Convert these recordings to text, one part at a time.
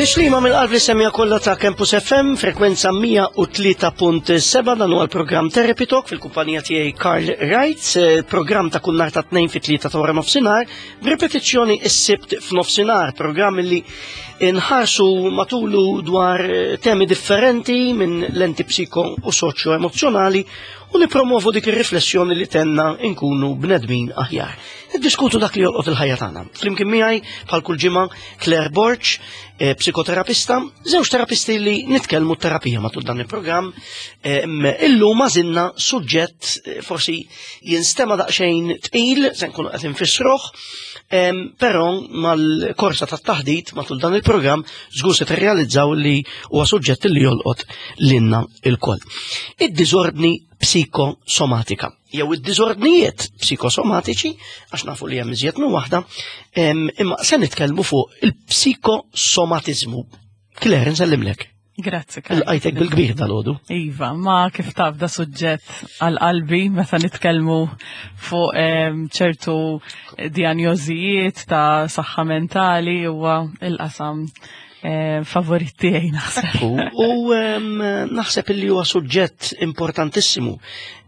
Tislima mill-qalb li semja kollha ta' Campus FM, frekwenza 103.7 dan huwa l-programm Therapy Talk fil-kumpanija tiegħi Karl Wright, eh, programm ta' kull nhar ta' tnejn fit-tlieta ta' wara nofsinhar, b'ripetizzjoni s-sibt f'nofsinhar, programm li nħarsu matulu dwar eh, temi differenti minn lenti psiko u soċjo emozjonali u nipromovu dik ir-riflessjoni li tenna nkunu bnedmin aħjar. Niddiskutu dak li jolqot il-ħajja tagħna. Flimkien miegħi bħal kull ġimgħa Claire Borch, eh, psikoterapista, żewġ terapisti li nitkellmu terapija matul dan il-programm. Eh, illum għażilna suġġett eh, forsi jinstema daqsxejn tqil, se nkunu qed infissruh, però mal-korsa tat-taħdit matul dan il-programm żgur se tirrealizzaw li huwa suġġett li jolqot lilna il-koll. Id-diżordni psikosomatika jew id-diżordnijiet psikosomatiċi, għax nafu li hemm iżjed minn waħda, imma se nitkellmu fuq il-psikosomatiżmu. Claire, nsellimlek. Grazzi. Il-qajtek bil-kbir dal-ħodu. Iva, ma kif taf da suġġett għal-qalbi meta nitkellmu fuq ċertu diagnożijiet ta' saħħa mentali huwa il-qasam eh, favorit tiegħi naħseb. U naħseb li huwa suġġett importantissimu.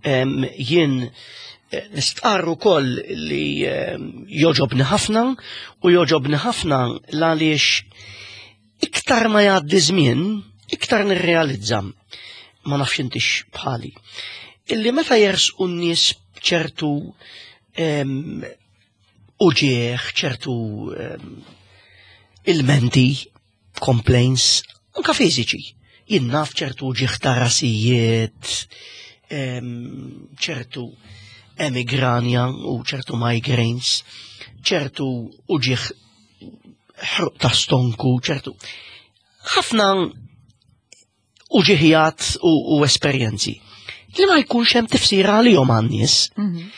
Jien eh, nistqarr ukoll li joġobni ħafna u joġobni ħafna l-għaliex iktar ma jgħaddi żmien, iktar nirrealizza ma nafx intix bħali. Illi meta jersqu n-nies ċertu uġieħ, ċertu ehm, ilmenti, complaints, anka fiżiċi. Jien naf ċertu uġieħ ta' rasijiet, ehm, ċertu emigranja u ċertu migraines, ċertu uġieħ ħruq ta' stonku, ċertu. Ħafna uġiħijat u, u esperjenzi li ma jkunx hemm tifsira għalihom għan-nies. Mhm.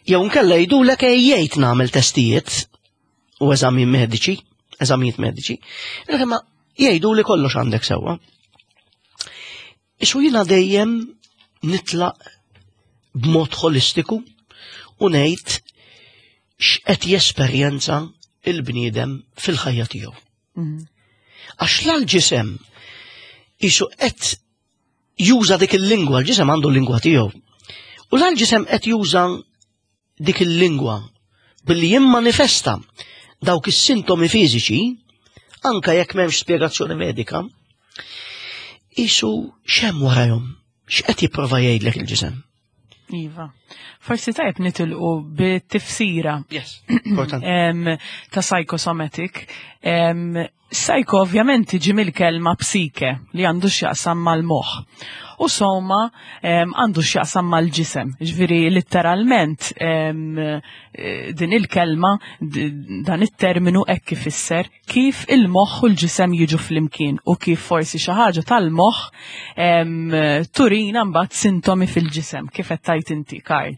Jew nkella jgħidulek ejjejt nagħmel testijiet u eżami mediċi, eżamijiet mediċi, imma jgħidu li kollox għandek sewwa. Isu jiena dejjem nitlaq b'mod holistiku u ngħid x'qed jesperjenza il-bniedem fil-ħajja tiegħu. Mhm. Għax l-ġisem isu qed juża dik il-lingwa, l-ġisem għandu l-lingwa tiegħu. U l-ġisem qed juża dik il-lingwa billi jimmanifesta dawk is-sintomi fiżiċi, anka jekk m'hemmx spjegazzjoni medika, isu x'hemm warahom, x'qed jipprova jgħidlek il-ġisem. Iva. Forsi tajb nitilqu bit-tifsira. Yes, importanti. Ta' psychosomatic. Psycho ovvjament tiġi mill-kelma psike li għandu x'jaqsam mal-moħħ. U soma għandu x'jaqsam mal-ġisem. Ġifieri letteralment din il-kelma, dan it-terminu hekk ifisser kif il-moħħ u l-ġisem jiġu flimkien u kif forsi xi ħaġa tal-moħħ turina mbagħad sintomi fil-ġisem kif qed tajt inti Karl.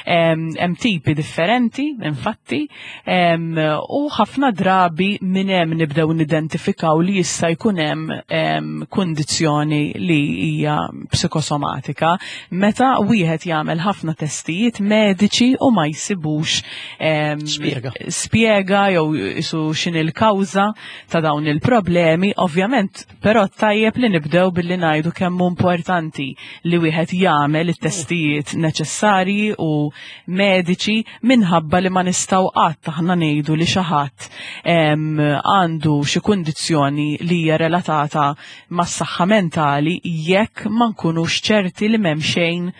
Hemm tipi differenti, infatti, u ħafna drabi minn hemm nibdew nidentifikaw li jista' jkun hemm kundizzjoni li hija psikosomatika meta wieħed jagħmel ħafna testijiet mediċi u ma jsibux Spjega. Spjega jew isu x'in il-kawża ta' dawn il-problemi, ovvjament, però tajjeb li nibdew billi ngħidu kemm hu importanti li wieħed jagħmel it-testijiet neċessarji u mediċi minħabba li ma nistgħu qatt aħna ngħidu li xi ħadd għandu xi kundizzjoni li hija relatata mas-saħħa mentali jekk ma nkunux ċerti li m'hemm xejn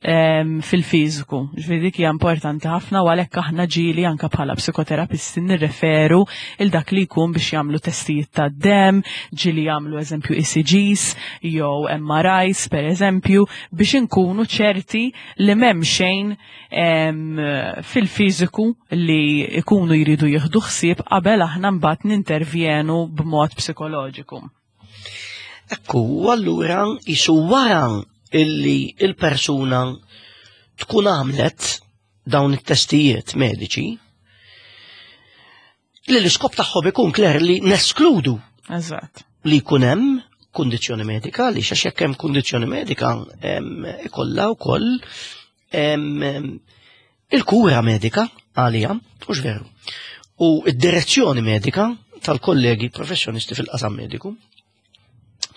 fil-fiżiku. Ġifieri dik hija importanti ħafna u għalhekk aħna ġieli anke bħala psikoterapisti nirreferu il dak li jkun biex jagħmlu testijiet tad-demm, ġieli jagħmlu eżempju ECGs jew MRIs per eżempju biex inkunu ċerti li m'hemm xejn fil-fiżiku li jkunu jridu jieħdu ħsieb qabel aħna mbagħad nintervjenu b'mod psikoloġiku. Ekku, u allura jisu wara illi il-persuna tkun għamlet dawn it-testijiet mediċi, li l-iskop tagħhom ikun kler li neskludu. Eżatt. Li jkun hemm kundizzjoni medika, li xax jekk hemm kundizzjoni medika ikollha wkoll il-kura medika għalija, mhux veru. U id-direzzjoni medika tal-kollegi professjonisti fil-qasam mediku.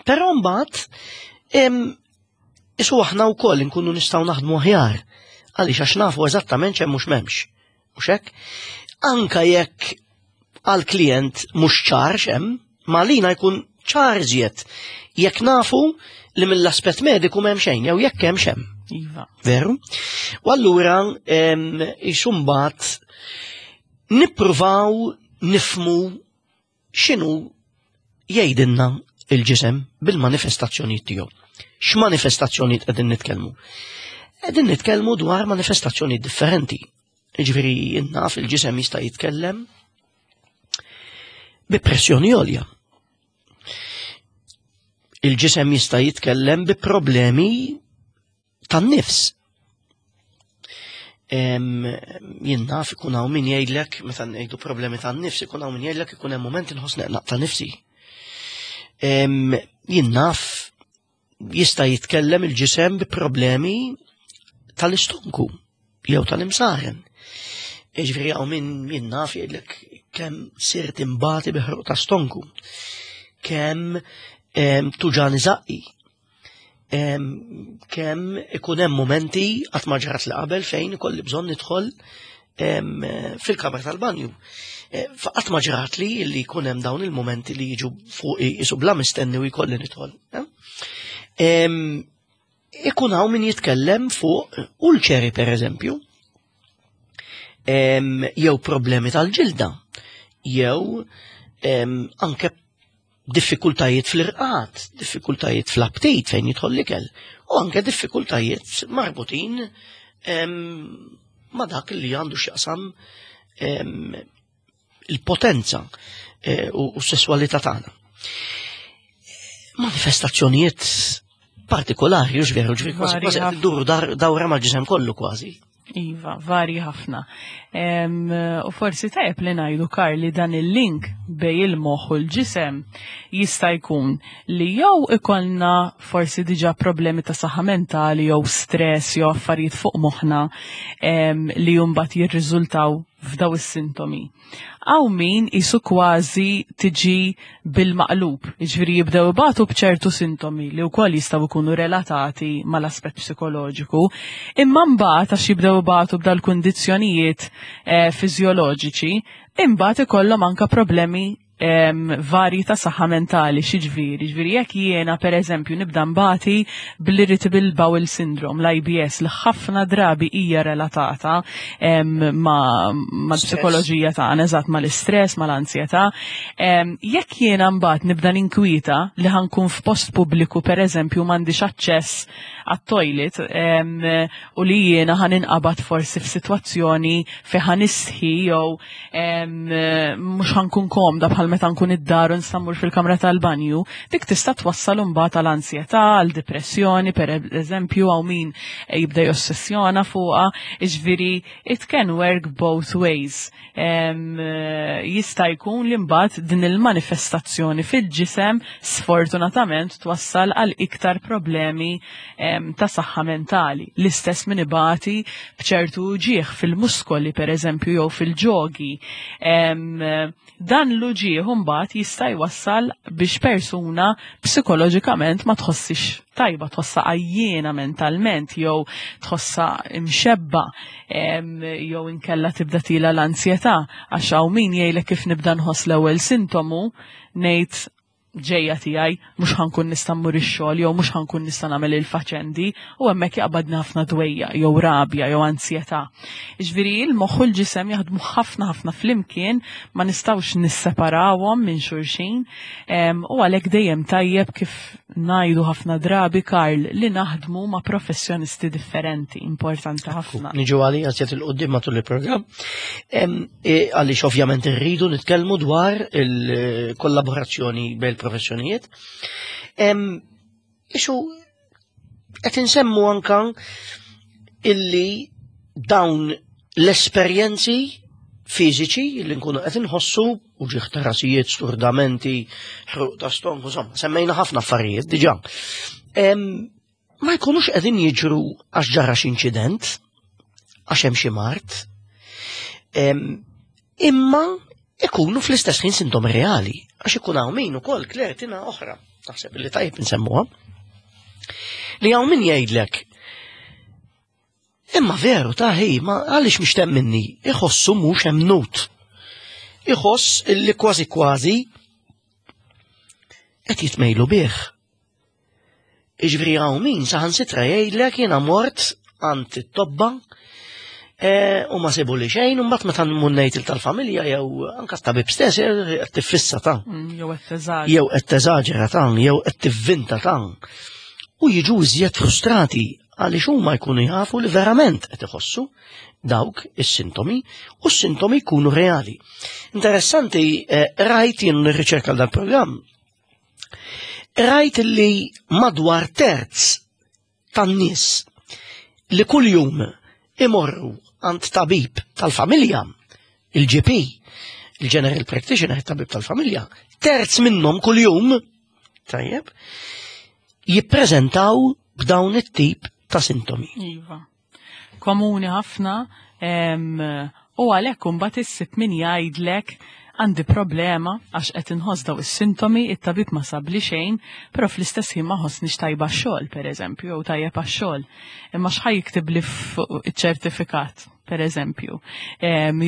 Però mbagħad isu aħna wkoll inkunu nistgħu naħdmu aħjar għaliex għax nafu eżattament x'hemm mhux m'hemmx. Mhux hekk? Anka jekk għall-klient mhux ċar x'hemm, ma lina jkun ċar iżjed jekk nafu li mill-aspett mediku m'hemm xejn jew jekk hemm x'hemm. Iva. Veru? U allura isu mbagħad nippruvaw nifmu x'inhu jgħidilna il-ġisem bil-manifestazzjonijiet tiegħu. X'manifestazzjonijiet qegħdin nitkellmu? Qegħdin nitkellmu dwar manifestazzjonijiet differenti. Jiġifieri naf il-ġisem jista' jitkellem bi pressjoni għolja. Il-ġisem jista' jitkellem bi problemi tan-nifs. Jien naf ikun hawn min jgħidlek meta ngħidu problemi tan-nifs ikun hawn min jgħidlek ikun hemm mument inħoss neqnaq ta' nifsi. Jien naf jista' jitkellem il-ġisem bi problemi tal-istonku jew tal-imsaren. Jiġifieri hawn min jien naf jgħidlek kemm sirt imbati bi ħruq ta' stonku, kemm tuġani żaqqi, kemm ikun hemm momenti qatt ma ġrat li qabel fejn ikolli bżonn nidħol fil-kamra tal-banju. E, qatt ma ġrat li li jkun hemm dawn il-momenti li jiġu fuq isu bla mistenni u jkolli nidħol. Ikun hawn min jitkellem fuq ulċeri per eżempju, jew problemi tal-ġilda, jew anke diffikultajiet fl-irqad, diffikultajiet fl-aptit fejn jidħol l-ikel, u anke diffikultajiet marbutin ma' dak li għandu x'jaqsam il-potenza eh, u s-sesswalità tagħna. Manifestazzjonijiet partikolari, u veru, ġveri, kważi kważi duru dawra mal-ġisem kollu kważi. Iva, varji ħafna. U forsi tajjeb li ngħidu Karli dan il-link bej il-moħħ u l-ġisem jista' jkun li jew ikollna forsi diġà problemi ta' saħħa mentali jew stress jew affarijiet fuq moħħna li mbagħad jirriżultaw f'daw is-sintomi. Hawn min isu kważi tiġi bil-maqlub, jiġifieri jibdew ibatu b'ċertu sintomi li wkoll jistgħu jkunu relatati mal-aspett psikoloġiku, imma mbagħad għax jibdew ibatu b'dal-kundizzjonijiet eh, fiżjoloġiċi, imbagħad ikollhom anka problemi varji ta' saħħa mentali, xiġifieri, ġifieri jekk jiena pereżempju nibda nbati bl-irritable bowel syndrome, l-IBS, li ħafna drabi hija relatata ma' mal-psikoloġija tagħna, eżatt mal-istress, mal-ansjetà. Jekk jiena mbagħad nibda ninkwieta li ħankun f'post pubbliku pereżempju m'għandix aċċess għat-toilet u li jiena ħan inqabad forsi f'sitwazzjoni fejn ħan istħi jew mhux ħankun komda bħal meta nkun id-dar u nista' mmur fil-kamra tal-banju, dik tista' twassal imbagħad għal ansjetà, għal depressjoni, per eżempju, hawn min jibda jossessjona fuqha, jiġifieri it can work both ways. Jista' jkun li mbagħad din il-manifestazzjoni fil-ġisem sfortunatament twassal għal iktar problemi ta' saħħa mentali. L-istess min ibati b'ċertu uġigħ fil-muskoli pereżempju jew fil-ġogi. Dan l-uġigħ imbagħad jista' jwassal biex persuna psikoloġikament ma tħossix tajba, tħossha għajjiena mentalment jew tħossha imxebba jew inkella tibda tila l-ansjetà għax hawn min jgħidlek kif nibda nħoss l-ewwel sintomu ngħid ġejja tiegħi mhux ħankun nista' mmur ix-xogħol jew mhux ħankun nista' nagħmel il-faċendi u hemmhekk jaqbadni ħafna dwejja jew rabja jew ansjetà. Jiġifieri l-moħħ u l-ġisem jaħdmu ħafna ħafna flimkien ma nistgħux nisseparawhom minn xulxin u għalhekk dejjem tajjeb kif ngħidu ħafna drabi Karl li naħdmu ma' professjonisti differenti, importanti ħafna. Niġu għalija zjed il-qudiem matul il-programm. E, għaliex ovvjament irridu nitkellmu dwar il-kollaborazzjoni bejn il-professjonijiet. Ixu qed insemmu anka illi dawn l-esperjenzi fiżiċi li nkunu qed inħossu u ġieħ ta' rasijiet, sturdamenti, ħruq ta' stonku, insomma, semmejna ħafna affarijiet diġà. Ma jkunux qegħdin jiġru għax ġara xi inċident, għax hemm xi mart, imma Ikunu fl-istess ħin sintomi reali, għax ikun hawn min ukoll klertina oħra, naħseb li tajjeb nsemmuha. Li hawn min jgħidlek Imma veru ta' hi, ma għaliex mhix temminni, iħossu mhux emnut. Iħoss illi kważi kważi qed jitmejlu bih. Iġvri hawn min saħansitra jgħidlek jiena mort għand it-tobba e, u ma sebu li xejn, u mbagħad meta nmunnejt il tal-familja jew anka tabib stess e, qed tiffissa ta' Jew qed teżaġera. Jew qed teżaġera ta' jew qed tivvinta ta' U jiġu iżjed frustrati għaliex huma jkunu jafu li verament qed iħossu dawk is-sintomi u s-sintomi jkunu reali. Interessanti, eh, rajt jien nirriċerka dal-programm Rajt li madwar terz tan-nies li kuljum imorru għand tabib tal-familja, il-GP, il-General Practitioner, tabib tal-familja, terz minnhom kuljum, tajjeb, jippreżentaw b'dawn it-tip ta' sintomi. Iva. Komuni ħafna u għalhekk imbagħad issib min jgħidlek għandi problema għax qed inħoss daw is-sintomi, it-tabib ma sabli xejn, però fl-istess ħin ma ħossnix tajba x-xogħol pereżempju, jew tajjeb għax-xogħol. Imma x'ħa jiktibli fuq iċ-ċertifikat, pereżempju.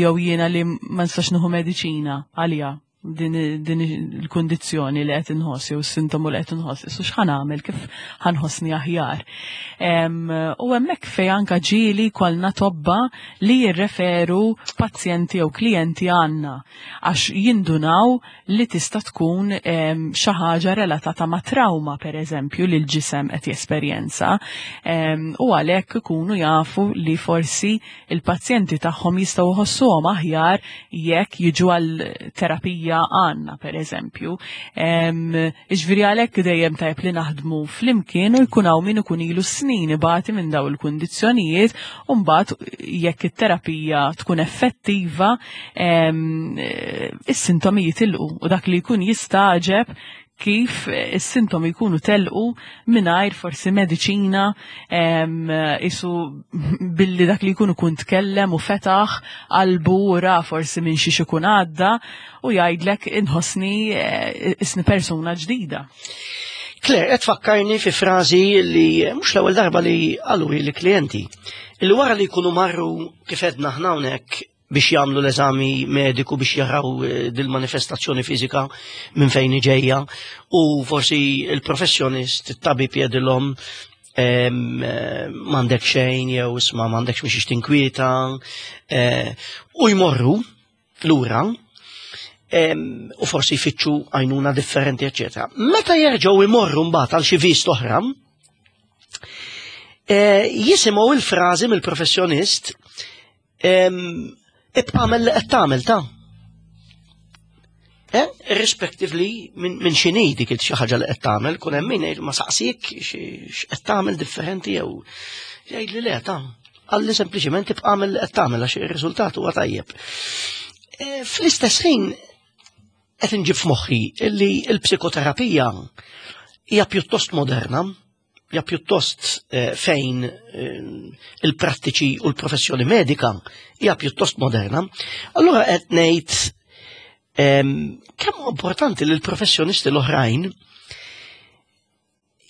Jew jiena li ma nistax nieħu mediċina għaliha din, din il-kundizzjoni li qed inħoss jew is-sintomu li qed inħoss, issu x'ħan għamel kif ħanħossni aħjar. U hemmhekk fejn anka ġieli kollna tobba li jirreferu pazjenti jew klijenti għandna għax jindunaw li tista' tkun xi ħaġa relatata ma' trauma pereżempju li l-ġisem qed jesperjenza u għalhekk ikunu jafu li forsi il-pazjenti tagħhom jistgħu jħossuhom aħjar jekk jiġu għal terapija għandna pereżempju. Iġviri għalhekk dejjem tajb li naħdmu flimkien u jkun hawn min ikun ilu snin ibati minn daw il-kundizzjonijiet u mbagħad jekk it-terapija tkun effettiva is-sintomi jitilqu u dak li jkun jistaġeb kif is-sintomi jkunu telqu mingħajr forsi mediċina isu billi dak li jkunu kun tkellem u fetaħ qalbu u ra forsi minn xiex ikun għadda u jgħidlek inħossni eh, isni persuna ġdida. Claire, qed fakkarni fi frażi li mhux l-ewwel darba li qalu li klijenti li wara li jkunu marru kif edna aħna hawnhekk biex jagħmlu l-eżami mediku biex jaraw eh, dil-manifestazzjoni fiżika minn fejn ġejja u forsi il-professjonist, it-tabib jedilhom eh, m'għandek xejn jew isma' m'għandekx mhix tinkwieta eh, u jmorru lura u forsi jfittxu għajnuna differenti, eċetera. Meta jerġgħu jmorru mbagħad għal xi vist oħra, jisimgħu il-frażi mill-professjonist Ibqa' għamel li qed tagħmel ta' Eh, irrispectively minn xini dik xi ħaġa li qed tagħmel, kun hemm min ma saqsik x'qed tagħmel differenti jew jgħid li le ta' għalli sempliċement tibqa' għamel li qed tagħmel għax ir-riżultat huwa tajjeb. Eh, fl-istess ħin qed inġib f'moħħi li l-psikoterapija hija pjuttost moderna, hija pjuttost eh, fejn eh, il-prattiċi u l-professjoni medika hija pjuttost moderna. Allura qed ngħid ehm, kemm importanti li l-professjonisti l-oħrajn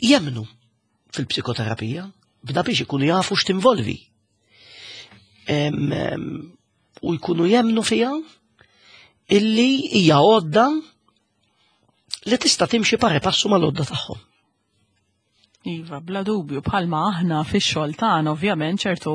jemnu fil-psikoterapija bda biex ikunu jafu x'tinvolvi. Ehm, ehm, u jkunu jemnu fija illi hija għodda li tista' timxi pari passu mal-għodda tagħhom. Iva, bla dubju, bħalma aħna fix-xogħol tagħna ovvjament ċertu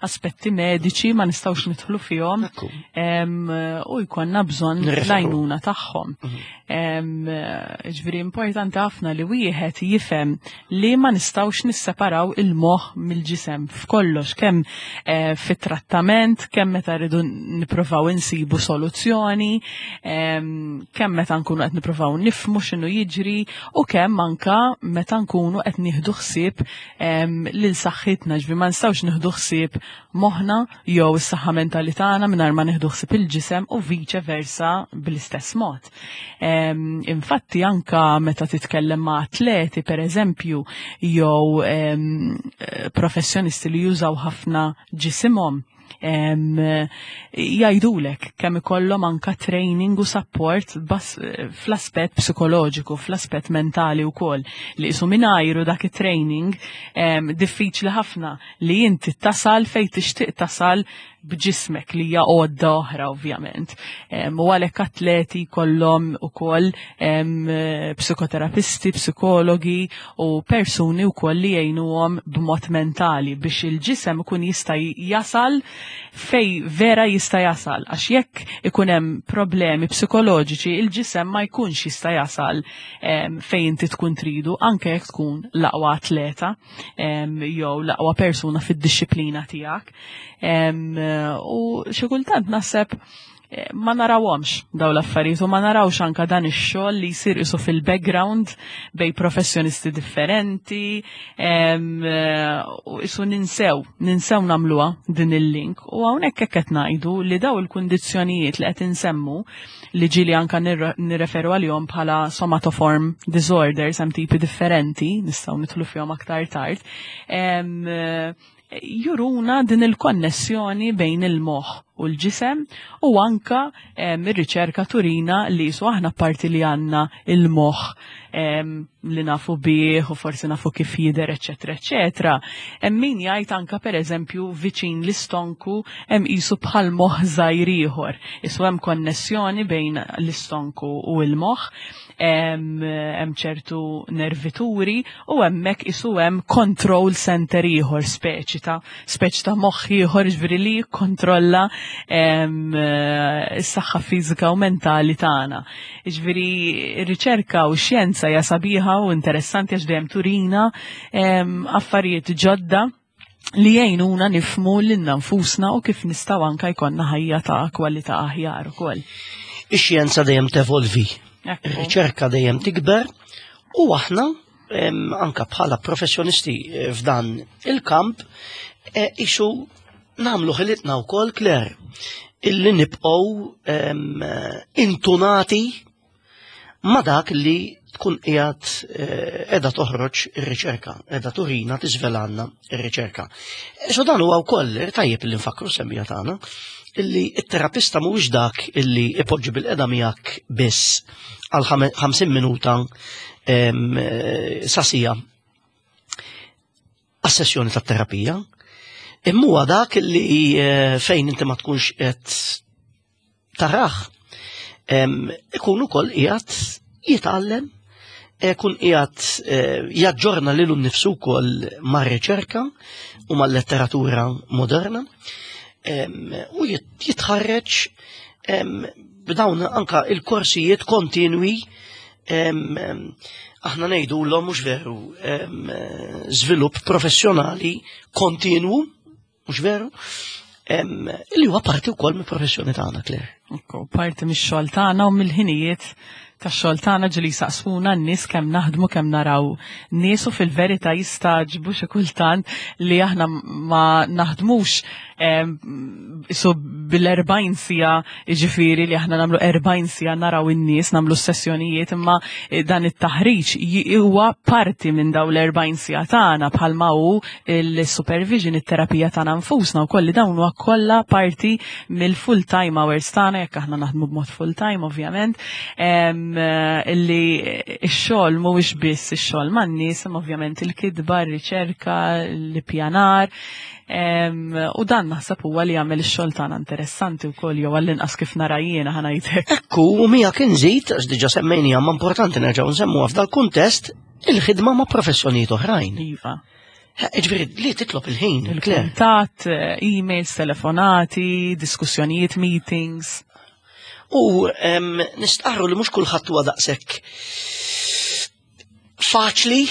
aspetti mediċi ma nistgħux nidħlu fihom u jkollna bżonn l-għajnuna tagħhom. Mhm. Ġifieri importanti ħafna li wieħed jifhem li ma nistgħux nisseparaw il-moħħ mill-ġisem f'kollox kemm eh, fit-trattament, kemm meta rridu nippruvaw insibu soluzzjoni, kemm meta nkunu qed nippruvaw nifhmu x'inhu jiġri u kemm anka meta nkunu qed nieħdu ħsieb lil saħħitna, ġifieri ma nistgħux nieħdu ħsieb moħħna jew is-saħħa mentali tagħna mingħajr ma nieħdu ħsieb il-ġisem u viċe versa bl-istess mod. Infatti anka meta titkellem ma' atleti pereżempju jew professjonisti li jużaw ħafna ġisimhom, Jgħidulek kemm ikollhom anka training u support fl-aspett psikoloġiku, fl-aspett mentali wkoll li qisu mingħajru dak it-training diffiċli ħafna li inti tasal fejn tixtieq tasal b'ġismek li hija għodda oħra ovvjament. U għalhekk atleti kollhom ukoll psikoterapisti, psikologi u persuni wkoll li jgħinuhom b'mod mentali biex il-ġisem ikun jista' jasal fej vera jista' jasal għax jekk ikun hemm problemi psikoloġiċi il-ġisem ma jkunx jista' jasal fejn inti tkun tridu anke jekk tkun l-aqwa atleta jew l-aqwa persuna fid-dixxiplina tiegħek. U xi kultant naħseb eh, ma narawhomx daw l-affarijiet u ma narawx anka dan ix-xogħol li jsir isu fil-background bej professjonisti differenti eh, u isu ninsew, ninsew nagħmluha din il-link u hawnhekk hekk qed ngħidu li daw il-kundizzjonijiet li qed insemmu li ġieli anka nirreferu għalihom bħala somatoform disorders hemm tipi differenti nistgħu nidħlu fihom aktar tard. Eh, juruna din il-konnessjoni bejn il-moħħ u l-ġisem u anka ir-riċerka turina li su aħna parti li għandna il-moħħ li nafu bih u forsi nafu kif jidher, eċetera, eċetera. Hemm min jgħid anka pereżempju viċin l-istonku hemm qisu bħal moħħ żgħir ieħor. Isu hemm konnessjoni bejn l-istonku u l-moħħ hemm ċertu nervituri u hemmhekk isu hemm control center ieħor speċi ta' speċi ta' moħħ ieħor ġifieri li jikkontrolla s-saħħa fiżika u mentali tagħna. Ġifieri r-riċerka u x-xjenza hija sabiħa u interessanti għax dejjem turina affarijiet ġodda li jgħinuna nifmu lilna nfusna u kif nistgħu anka jkollna ħajja ta' kwalità aħjar ukoll. Ix-xjenza dejjem tevolvi, ir-riċerka dejjem tikber u aħna anka bħala professjonisti eh, f'dan il-kamp eh, isu nagħmlu ħilitna wkoll Claire illi nibqgħu intunati ma dak li tkun qiegħed eh, qiegħda toħroġ ir-riċerka, qiegħda turina tiżvelanna ir-riċerka. So dan huwa wkoll tajjeb li nfakru semmija tagħna illi t-terapista mhuwiex dak illi ipoġġi bil-qeda miegħek biss għal 50 minuta eh, sasija għas-sessjoni tat-terapija, imma huwa dak li eh, fejn inti ma tkunx qed taraħ ikun ukoll qiegħed jitgħallem ikun qiegħed eh, jaġġorna lilu nnifsu wkoll mar-riċerka u mal-letteratura moderna u jitħarreġ b'dawn anka il-korsijiet kontinwi aħna ngħidu l mhux veru żvilupp professjonali kontinwu mhux veru? Li huwa parti wkoll mill-professjoni tagħna, Claire. Ekku, parti mix-xogħol tagħna u mill-ħinijiet tax-xogħol tagħna ġili saqsuna n-nies kemm naħdmu kemm naraw nies u fil-verità jistaġbu xi kultant li aħna ma naħdmux so bil-40 sija ġifiri li aħna namlu 40 sija naraw in-nies namlu sessjonijiet imma eh, dan it-taħriġ huwa parti minn daw l-40 sija tagħna bħalma hu il-supervision, it-terapija tagħna nfusna wkoll li dawn huwa kollha parti mill-full time hours tagħna jekk aħna naħdmu b'mod full time ovvjament eh, li x-xogħol mhuwiex biss ix-xogħol man-nies imma ovvjament il-kitba, r-riċerka, l-ippjanar. U dan naħseb huwa li jagħmel ix-xogħol tagħna interessanti wkoll jew għall-inqas kif nara jiena ħanajtek. Ekku, u miegħek inżid, għax diġà semmejniha ma importanti nerġgħu nsemmuha f'dal-kuntest, il-ħidma ma' professjonijiet oħrajn. Iva. Ġifieri li titlob il-ħin. Il-kuntatt, eh, emails, telefonati, diskussjonijiet, meetings. U nistqarru li mhux kulħadd huwa daqshekk faċli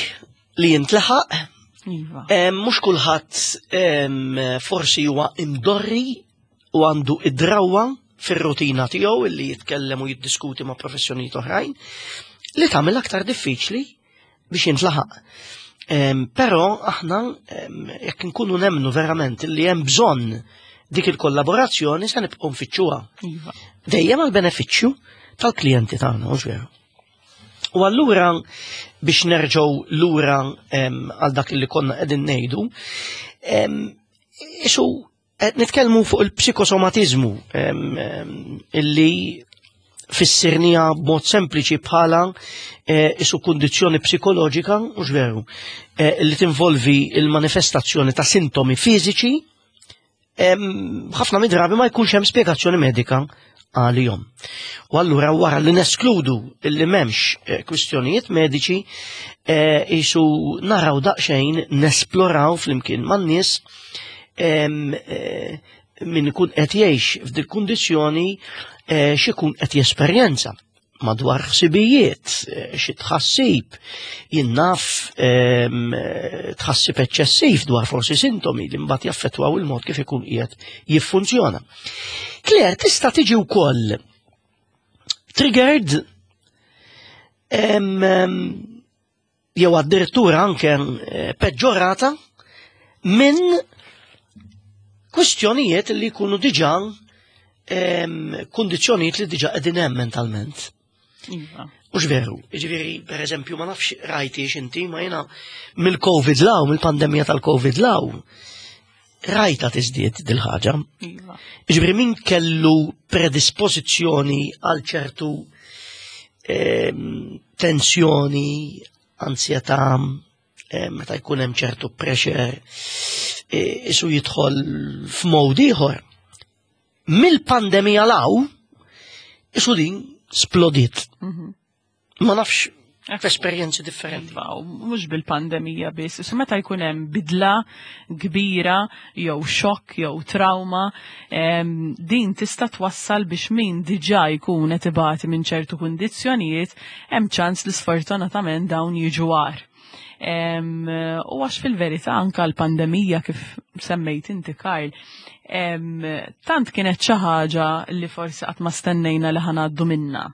li jintlaħaq. Iva. Mhux kulħadd forsi huwa imdorri u għandu id-drawwa fir-rutina tiegħu illi jitkellem u jiddiskuti ma' professjonijiet oħrajn li tagħmel aktar diffiċli biex jintlaħaq. Però aħna jekk nkunu nemnu verament li hemm bżonn dik il-kollaborazzjoni se nibqgħu nfittxuha. Iva. Dejjem għal benefiċċju tal-klijenti tagħna, mhux veru. U allura biex nerġgħu lura għal dak li konna qegħdin ngħidu, isu Qed nitkellmu fuq il-psikosomatiżmu illi fissirnija b'mod sempliċi bħala eh, isu kundizzjoni psikoloġika, mhux veru, eh, li tinvolvi il-manifestazzjoni ta' sintomi fiżiċi ħafna mid-drabi ma jkunx hemm spjegazzjoni medika għalihom. U allura wara li neskludu li m'hemmx eh, kwistjonijiet mediċi jisu naraw daqsxejn nesploraw flimkien man-nies eh, min ikun qed jgħix f'dik kundizzjoni eh, x'ikun qed jesperjenza madwar ħsibijiet, eh, xi tħassib, jinnaf tħassib eċċessiv dwar forsi sintomi li mbagħad jaffettwaw il-mod kif ikun qiegħed jiffunzjona. Claire, tista' tiġi wkoll triggered jew addirittura anke eh, peġġorata minn kwistjonijiet li jkunu diġà kundizzjonijiet li diġà qegħdin hemm mentalment. Iva. Mhux veru, jiġifieri pereżempju ma nafx rajti inti ma jiena mill-Covid law, mill-pandemija tal-Covid law, rajta tiżdied dil-ħaġa. Iva. Jiġifieri min kellu predispożizzjoni għal ċertu tensjoni, ansjetà, meta jkun hemm ċertu pressure, e, isu jidħol f'mod ieħor. Mill-pandemija law, isu din splodiet. Mhm. Ma nafx f'esperjenzi differenti. Iva, mhux bil-pandemija biss, issa meta jkun hemm bidla kbira jew xokk jew trauma, din tista' twassal biex min diġà jkun qed ibati minn ċertu kundizzjonijiet, hemm ċans li sfortunatament dawn jiġu agħar. U għax fil-verità anka l-pandemija kif semmejt inti Karl, tant kienet xi ħaġa li forsi qatt ma stennejna li ħanaddu minna.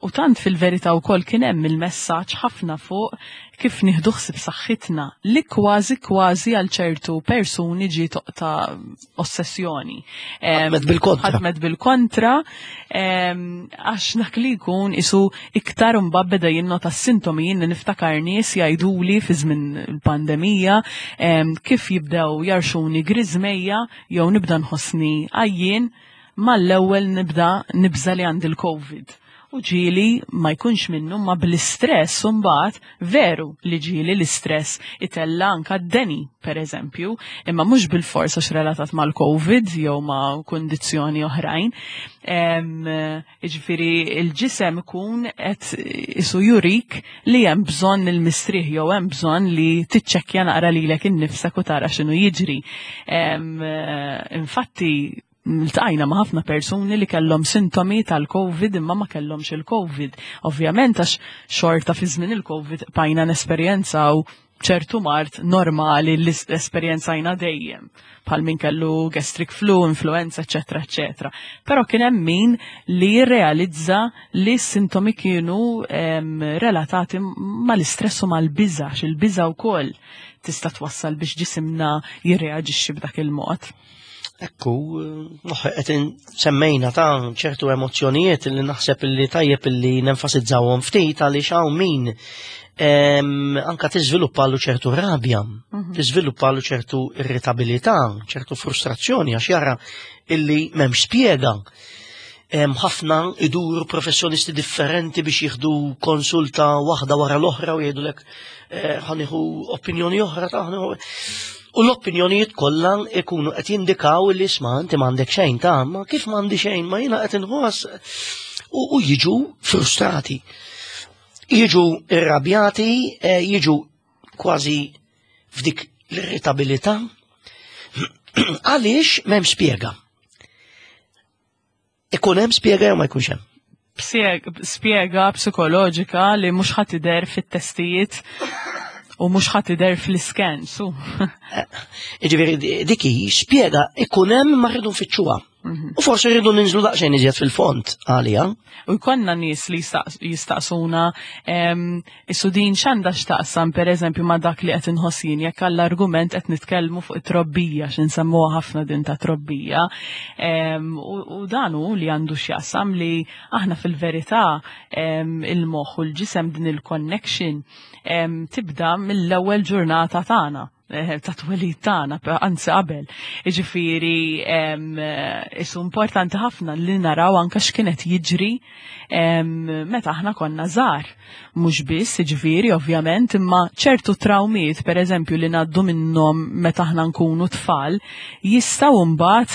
U tant fil-verità wkoll kien hemm il-messaġġ ħafna fuq kif nieħdu ħsieb saħħitna li kważi kważi għal ċertu persuni ġie toqta ossessjoni. Ħadmet bil-kontra. Ħadmet bil-kontra għax dak li jkun isu iktar mbagħad beda jinnota s-sintomi jien niftakar nies jgħiduli fi żmien il-pandemija kif jibdew jarxuni griżmejja jew nibda nħossni għajjien mal-ewwel nibda nibża li għandi l-COVID. U ġieli ma jkunx minnu ma bl-istress mbagħad veru li ġieli l-istress itella anka d-deni per eżempju, imma mhux bil-fors għax relatat mal-COVID jew ma' kundizzjoni oħrajn. Jiġifieri il-ġisem ikun qed isu jurik li hemm bżonn il-mistrieħ jew hemm bżonn li tiċċekkja naqra lilek innifsek u tara x'inhu jiġri. Infatti ltqajna ma' ħafna persuni li kellhom sintomi tal-COVID imma ma kellhomx il-COVID. Ovvjament għax xorta fi żmien il-COVID bajna nesperjenzaw ċertu mart normali li esperjenzajna dejjem bħal min kellu gastric flu, influenza, eccetera, eccetera. Però kien hemm min li jirrealizza li s-sintomi kienu relatati mal-istress u mal-biża', il-biża' wkoll tista' twassal biex ġisimna jirreaġixxi b'dak il-mod. Ekku, moħħi qed semmejna ta' ċertu emozzjonijiet li naħseb li tajjeb li nenfasizzawhom ftit għaliex hawn min anka tiżviluppalu ċertu rabja, mhm. tiżviluppalu ċertu irritabilità, ċertu frustrazzjoni għax jara illi m'hemmx spjega. Ħafna iduru professjonisti differenti biex jieħdu konsulta waħda wara l-oħra u jgħidulek eh, ħaniħu opinjoni oħra ta' U l-opinjonijiet kollha ikunu qed jindikaw li isma' inti m'għandek xejn ta' ma kif m'għandi xejn ma jiena qed inħoss u jiġu frustrati. Jiġu irrabjati, eh, jiġu kważi f'dik l-irritabilità. Għaliex m'hemm spjega. Ikun hemm spjega jew ma jkunx hemm? Spjega psikoloġika li mhux ħadd idher fit-testijiet u mhux ħadd idher fl-isken, su. Eh, jiġifieri dik hi spjega ikun hemm ma rridu nfittxuha. Mhm. U forsi rridu ninżlu daqsxejn iżjed fil-fond għalija. U jkollna nies li jistaqsuna Issu din x'għandha x'taqsam pereżempju ma' dak li qed inħoss jien jekk għall-argument qed nitkellmu fuq it-trobbija x'insemmuha ħafna din ta' trobbija. U dan hu li għandu x'jaqsam li aħna fil-verità il-moħħ u l-ġisem din il-connection tibda mill-ewwel ġurnata tagħna. ta' twelid tagħna, anzi qabel. Jiġifieri isu importanti ħafna li naraw anke x'kienet jiġri meta aħna konna żgħar. Mhux biss, jiġifieri ovvjament, imma ċertu trawmiet, pereżempju, li ngħaddu minnhom meta aħna nkunu tfal, jistgħu mbagħad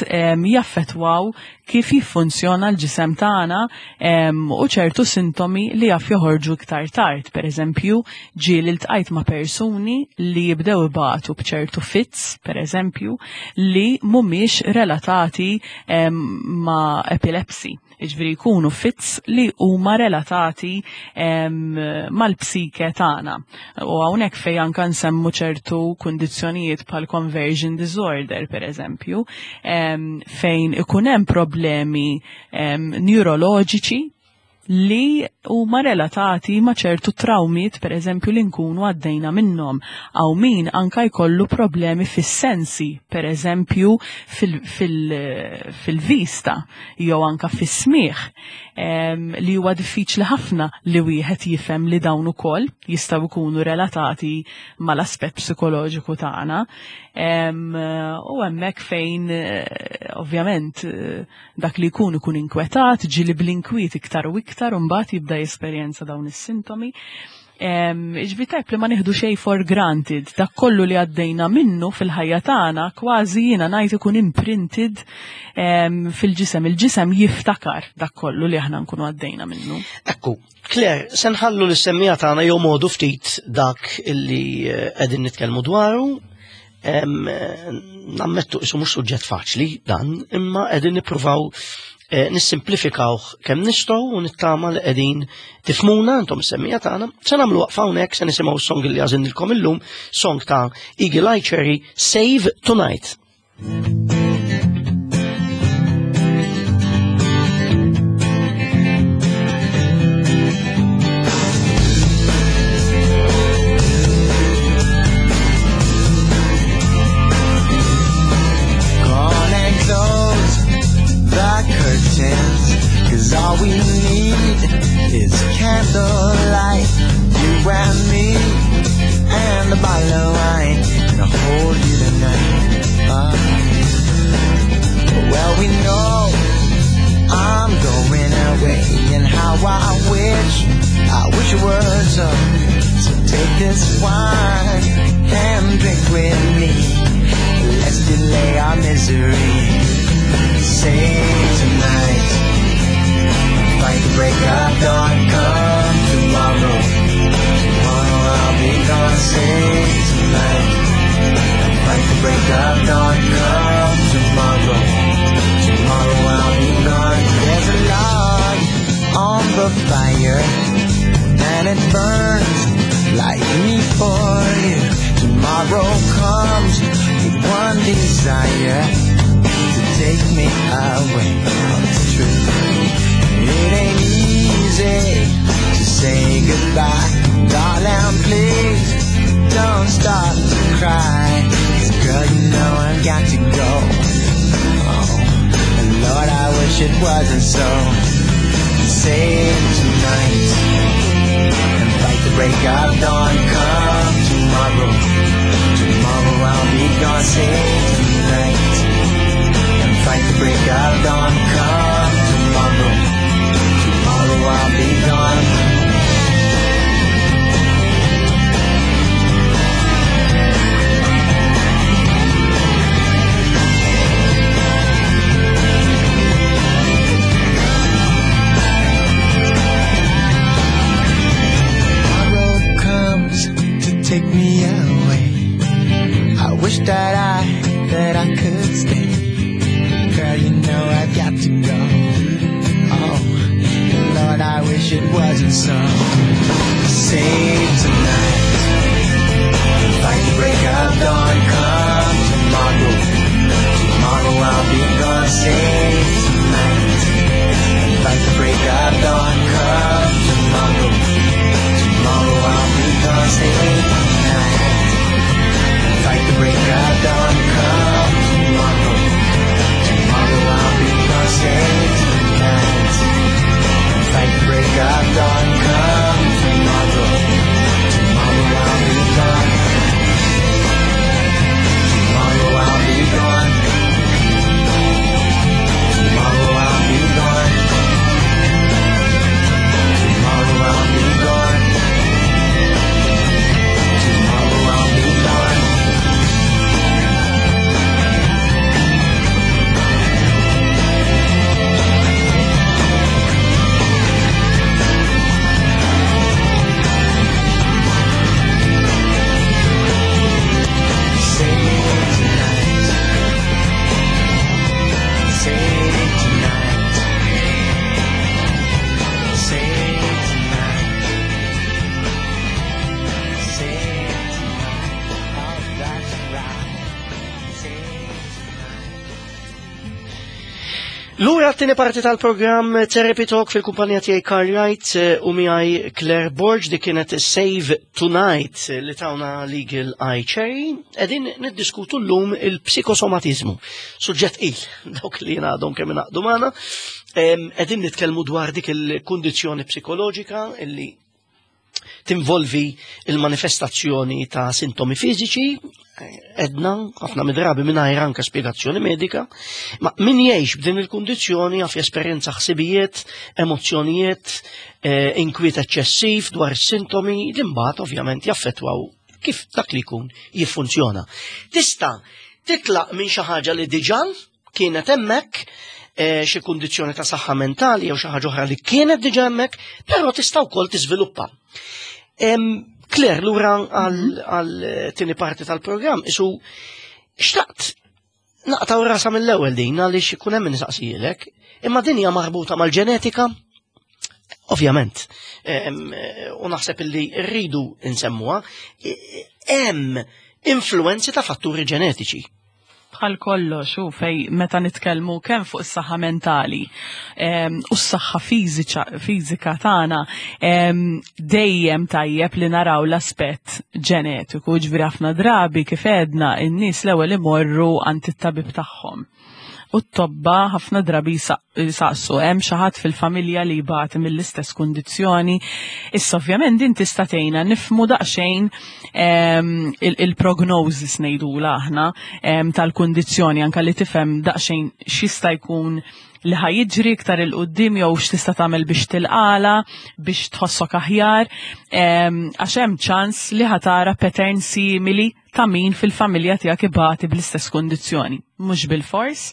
jaffettwaw kif jiffunzjona l-ġisem tagħna u ċertu sintomi li jaf joħorġu iktar tard. Pereżempju, ġieli ltqajt ma' persuni li jibdew ibatu b'ċertu fits, pereżempju, li mhumiex relatati ma' epilepsy. Jiġifieri jkunu fits li huma relatati mal-psike tagħna. U hawnhekk fejn anke nsemmu ċertu kundizzjonijiet bħal conversion disorder pereżempju, fejn ikun hemm problemi neuroloġiċi li huma relatati ma' ċertu trawmiet pereżempju li nkunu għaddejna minnhom. Hawn min anka jkollu problemi fis-sensi, pereżempju fil-vista jew anka fis-smigħ, li huwa diffiċli ħafna li wieħed jifhem li dawn ukoll jistgħu jkunu relatati mal-aspett psikoloġiku tagħna. U hemmhekk fejn ovvjament dak li jkun ikun inkwetat, ġieli bl-inkwiet iktar u iktar, u mbagħad jibda jesperjenza dawn is-sintomi. Ġifieri tajb li ma nieħdu xejn for granted, dak kollu li għaddejna minnu fil-ħajja tagħna kważi jiena ngħid ikun imprinted fil-ġisem. Il-ġisem jiftakar dak kollu li aħna nkunu għaddejna minnu. Ekku, Claire, se nħallu lis-semmija tagħna jomodu ftit dak illi qegħdin nitkellmu dwaru. Nammettu isu mhux suġġett faċli dan, imma qegħdin nippruvaw nissimplifikawh kemm nistgħu u nittama li qegħdin tifmuna intom is-semmija tagħna. Se nagħmlu waqfa hawnhekk, se nisimgħu s-song li għażilnilkom illum, song ta' Eagle Eye Cherry, Save Tonight. All we need is candlelight, you and me, and a bottle of wine, and I'll hold you tonight. Well, we know I'm going away, and how I wish it were so. So take this wine and drink with me. Let's delay our misery. Save tonight. Fight the break of dawn, come tomorrow. Tomorrow I'll be gone, save tonight. Fight the break of dawn, come tomorrow. Tomorrow I'll be gone. There's a log on the fire, and it burns like me for you. Tomorrow comes with one desire, to take me away. It's true. It ain't easy to say goodbye, darling, please don't start to cry. 'Cause girl, you know I've got to go. Oh, and Lord, I wish it wasn't so. Save tonight and fight the break of dawn. Come tomorrow, tomorrow I'll be gone. Save tonight and fight the break of dawn. Come tomorrow, tomorrow I'll be gone. Tomorrow comes to take me away. I wish that I could stay. Girl, you know I've got to go. Oh, Lord, I wish it wasn't so. Save tonight. Fight the break of dawn. Come tomorrow. Tomorrow I'll be gone. Save tonight. Fight the break of dawn. Come tomorrow. Tomorrow I'll be gone. Save tonight. Fight the break of dawn. Come tomorrow. Tomorrow I'll be gone. Save tonight. Fight the break of dawn. Come tomorrow. Tomorrow I'll be gone. Lura t-tieni parti tal-programm Therapy Talk fil-kumpanija tiegħi Carl Wright eh, u miegħi Claire Borg di kienet Save Tonight eh, li tawna Legal Eye Cherry. Qegħdin niddiskutu llum il-psikosomatizmu. Suġġett il dawk li jingħadhom kemm ingħaqdu magħna. Qegħdin nitkellmu dwar dik il-kundizzjoni psikoloġika illi tinvolvi il-manifestazzjoni ta' sintomi fiżiċi, edna, ħafna midrabi mingħajr anke spjegazzjoni medika, ma min jgħix b'din il-kundizzjoni għaf jesperjenza ħsibijiet, emozzjonijiet, eh, inkwiet eċċessiv dwar is-sintomi li mbagħad ovvjament jaffettwaw kif dak li jkun jiffunzjona. Tista' titlaq minn xi ħaġa li diġà kienet hemmhekk eh, xi kundizzjoni ta' saħħa mentali jew xi ħaġa oħra li kienet diġà hemmhekk, però tista' wkoll tiżviluppa. Claire, lura mhm. għal tieni parti tal-programm, isu xtaqt naqtaw rasa mill-ewwel din għaliex ikun hemm nistaqsijilek, imma din hija marbuta mal-ġenetika. Ovvjament, u naħseb illi rridu nsemmuha, hemm influenzi ta' fatturi ġenetiċi. Bħal kollox u fej meta nitkellmu kemm fuq is-saħħa mentali u s-saħħa fiżika tagħna dejjem tajjeb li naraw l-aspett ġenetiku, ġifieri ħafna drabi kif għedna n-nies l-ewwel imorru għand it-tabib tagħhom. U t-tobba ħafna drabi jsaqsu hemm xi ħadd fil-familja li jbati mill-istess kundizzjoni. Issa ovvjament din tista' tgħinna nifhmu daqsxejn ehm, il-prognosis ngħidula aħna ehm, tal-kundizzjoni anke li tifhem daqsxejn x'jista' jkun li ħajġri iktar il-qoddim jew x'tista' tagħmel biex tilqala, biex tħossok aħjar, ehm, għax hemm ċans li ħatara pattern simili ta' min fil-familja tiegħek ibati bl-istess kundizzjoni. Mhux bil-fors,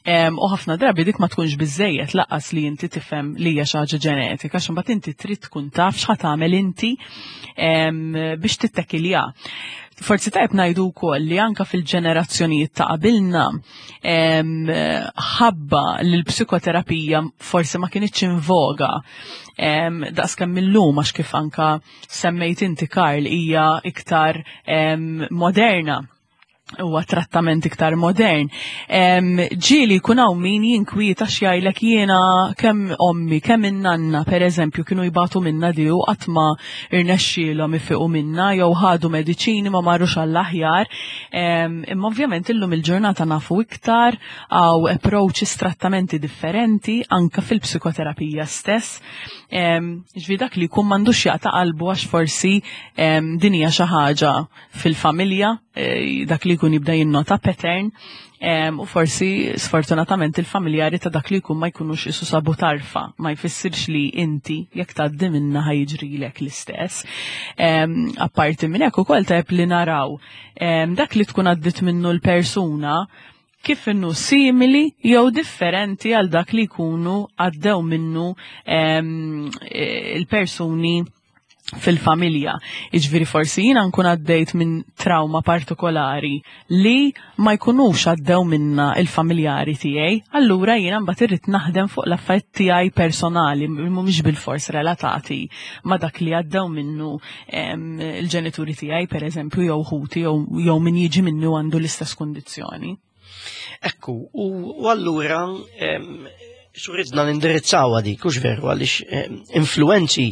u ħafna drabi dik ma tkunx biżejjed laqqas li inti tifhem li hija xi ħaġa ġenetika, għax imbagħad inti trid tkun taf x'ħa tagħmel inti biex tittekilja. Forsi tajb ngħidu wkoll li anka fil-ġenerazzjonijiet ta' qabilna ħabba li l-psikoterapija forsi ma kinitx in voga daqskemm illum għax kif anka semmejt inti Karl hija iktar moderna huwa trattament iktar modern. Ġieli jkun hawn min jinkwieta x'jgħidlek jiena kemm ommi, kemm in-nanna pereżempju kienu jbatu minna di u qatt ma irnexxielhom ifiqu minna jew ħadu mediċini ma marrux għall-aħjar. Imma ovvjament illum il-ġurnata nafu iktar għaw approaches trattamenti differenti anka fil-psikoterapija stess. Ġvi dak li jkun m'għandux jaqta' qalbu għax forsi din hija xi ħaġa fil-familja, eh, dak li jkun jibda jinnota pattern u forsi sfortunatament il-familjari ta' dak li jkun ma jkunux isu sabu tarfa, ma jfissirx li inti jekk tgħaddi minna ħajġrilek l-istess. Apparti minn hekk ukoll tajb li naraw dak li tkun għaddit minnu l-persuna kif inhu simili jew differenti għal dak li jkunu għaddew minnu il-persuni fil-familja. Iġviri forsi jina nkun għaddejt minn trauma partikolari li ma jkunux għaddew minna il-familjari tiegħi, allura jiena mbagħad irrid naħdem fuq l-affarijiet tiegħi personali mhumiex bil-fors relatati ma dak li għaddew minnu il-ġenituri tiegħi pereżempju jew ħuti jew min jiġi minnu għandu l-istess kundizzjoni. Ekku, u allura Suridna nindirizzaw dik, hux veru, għaliex influenzi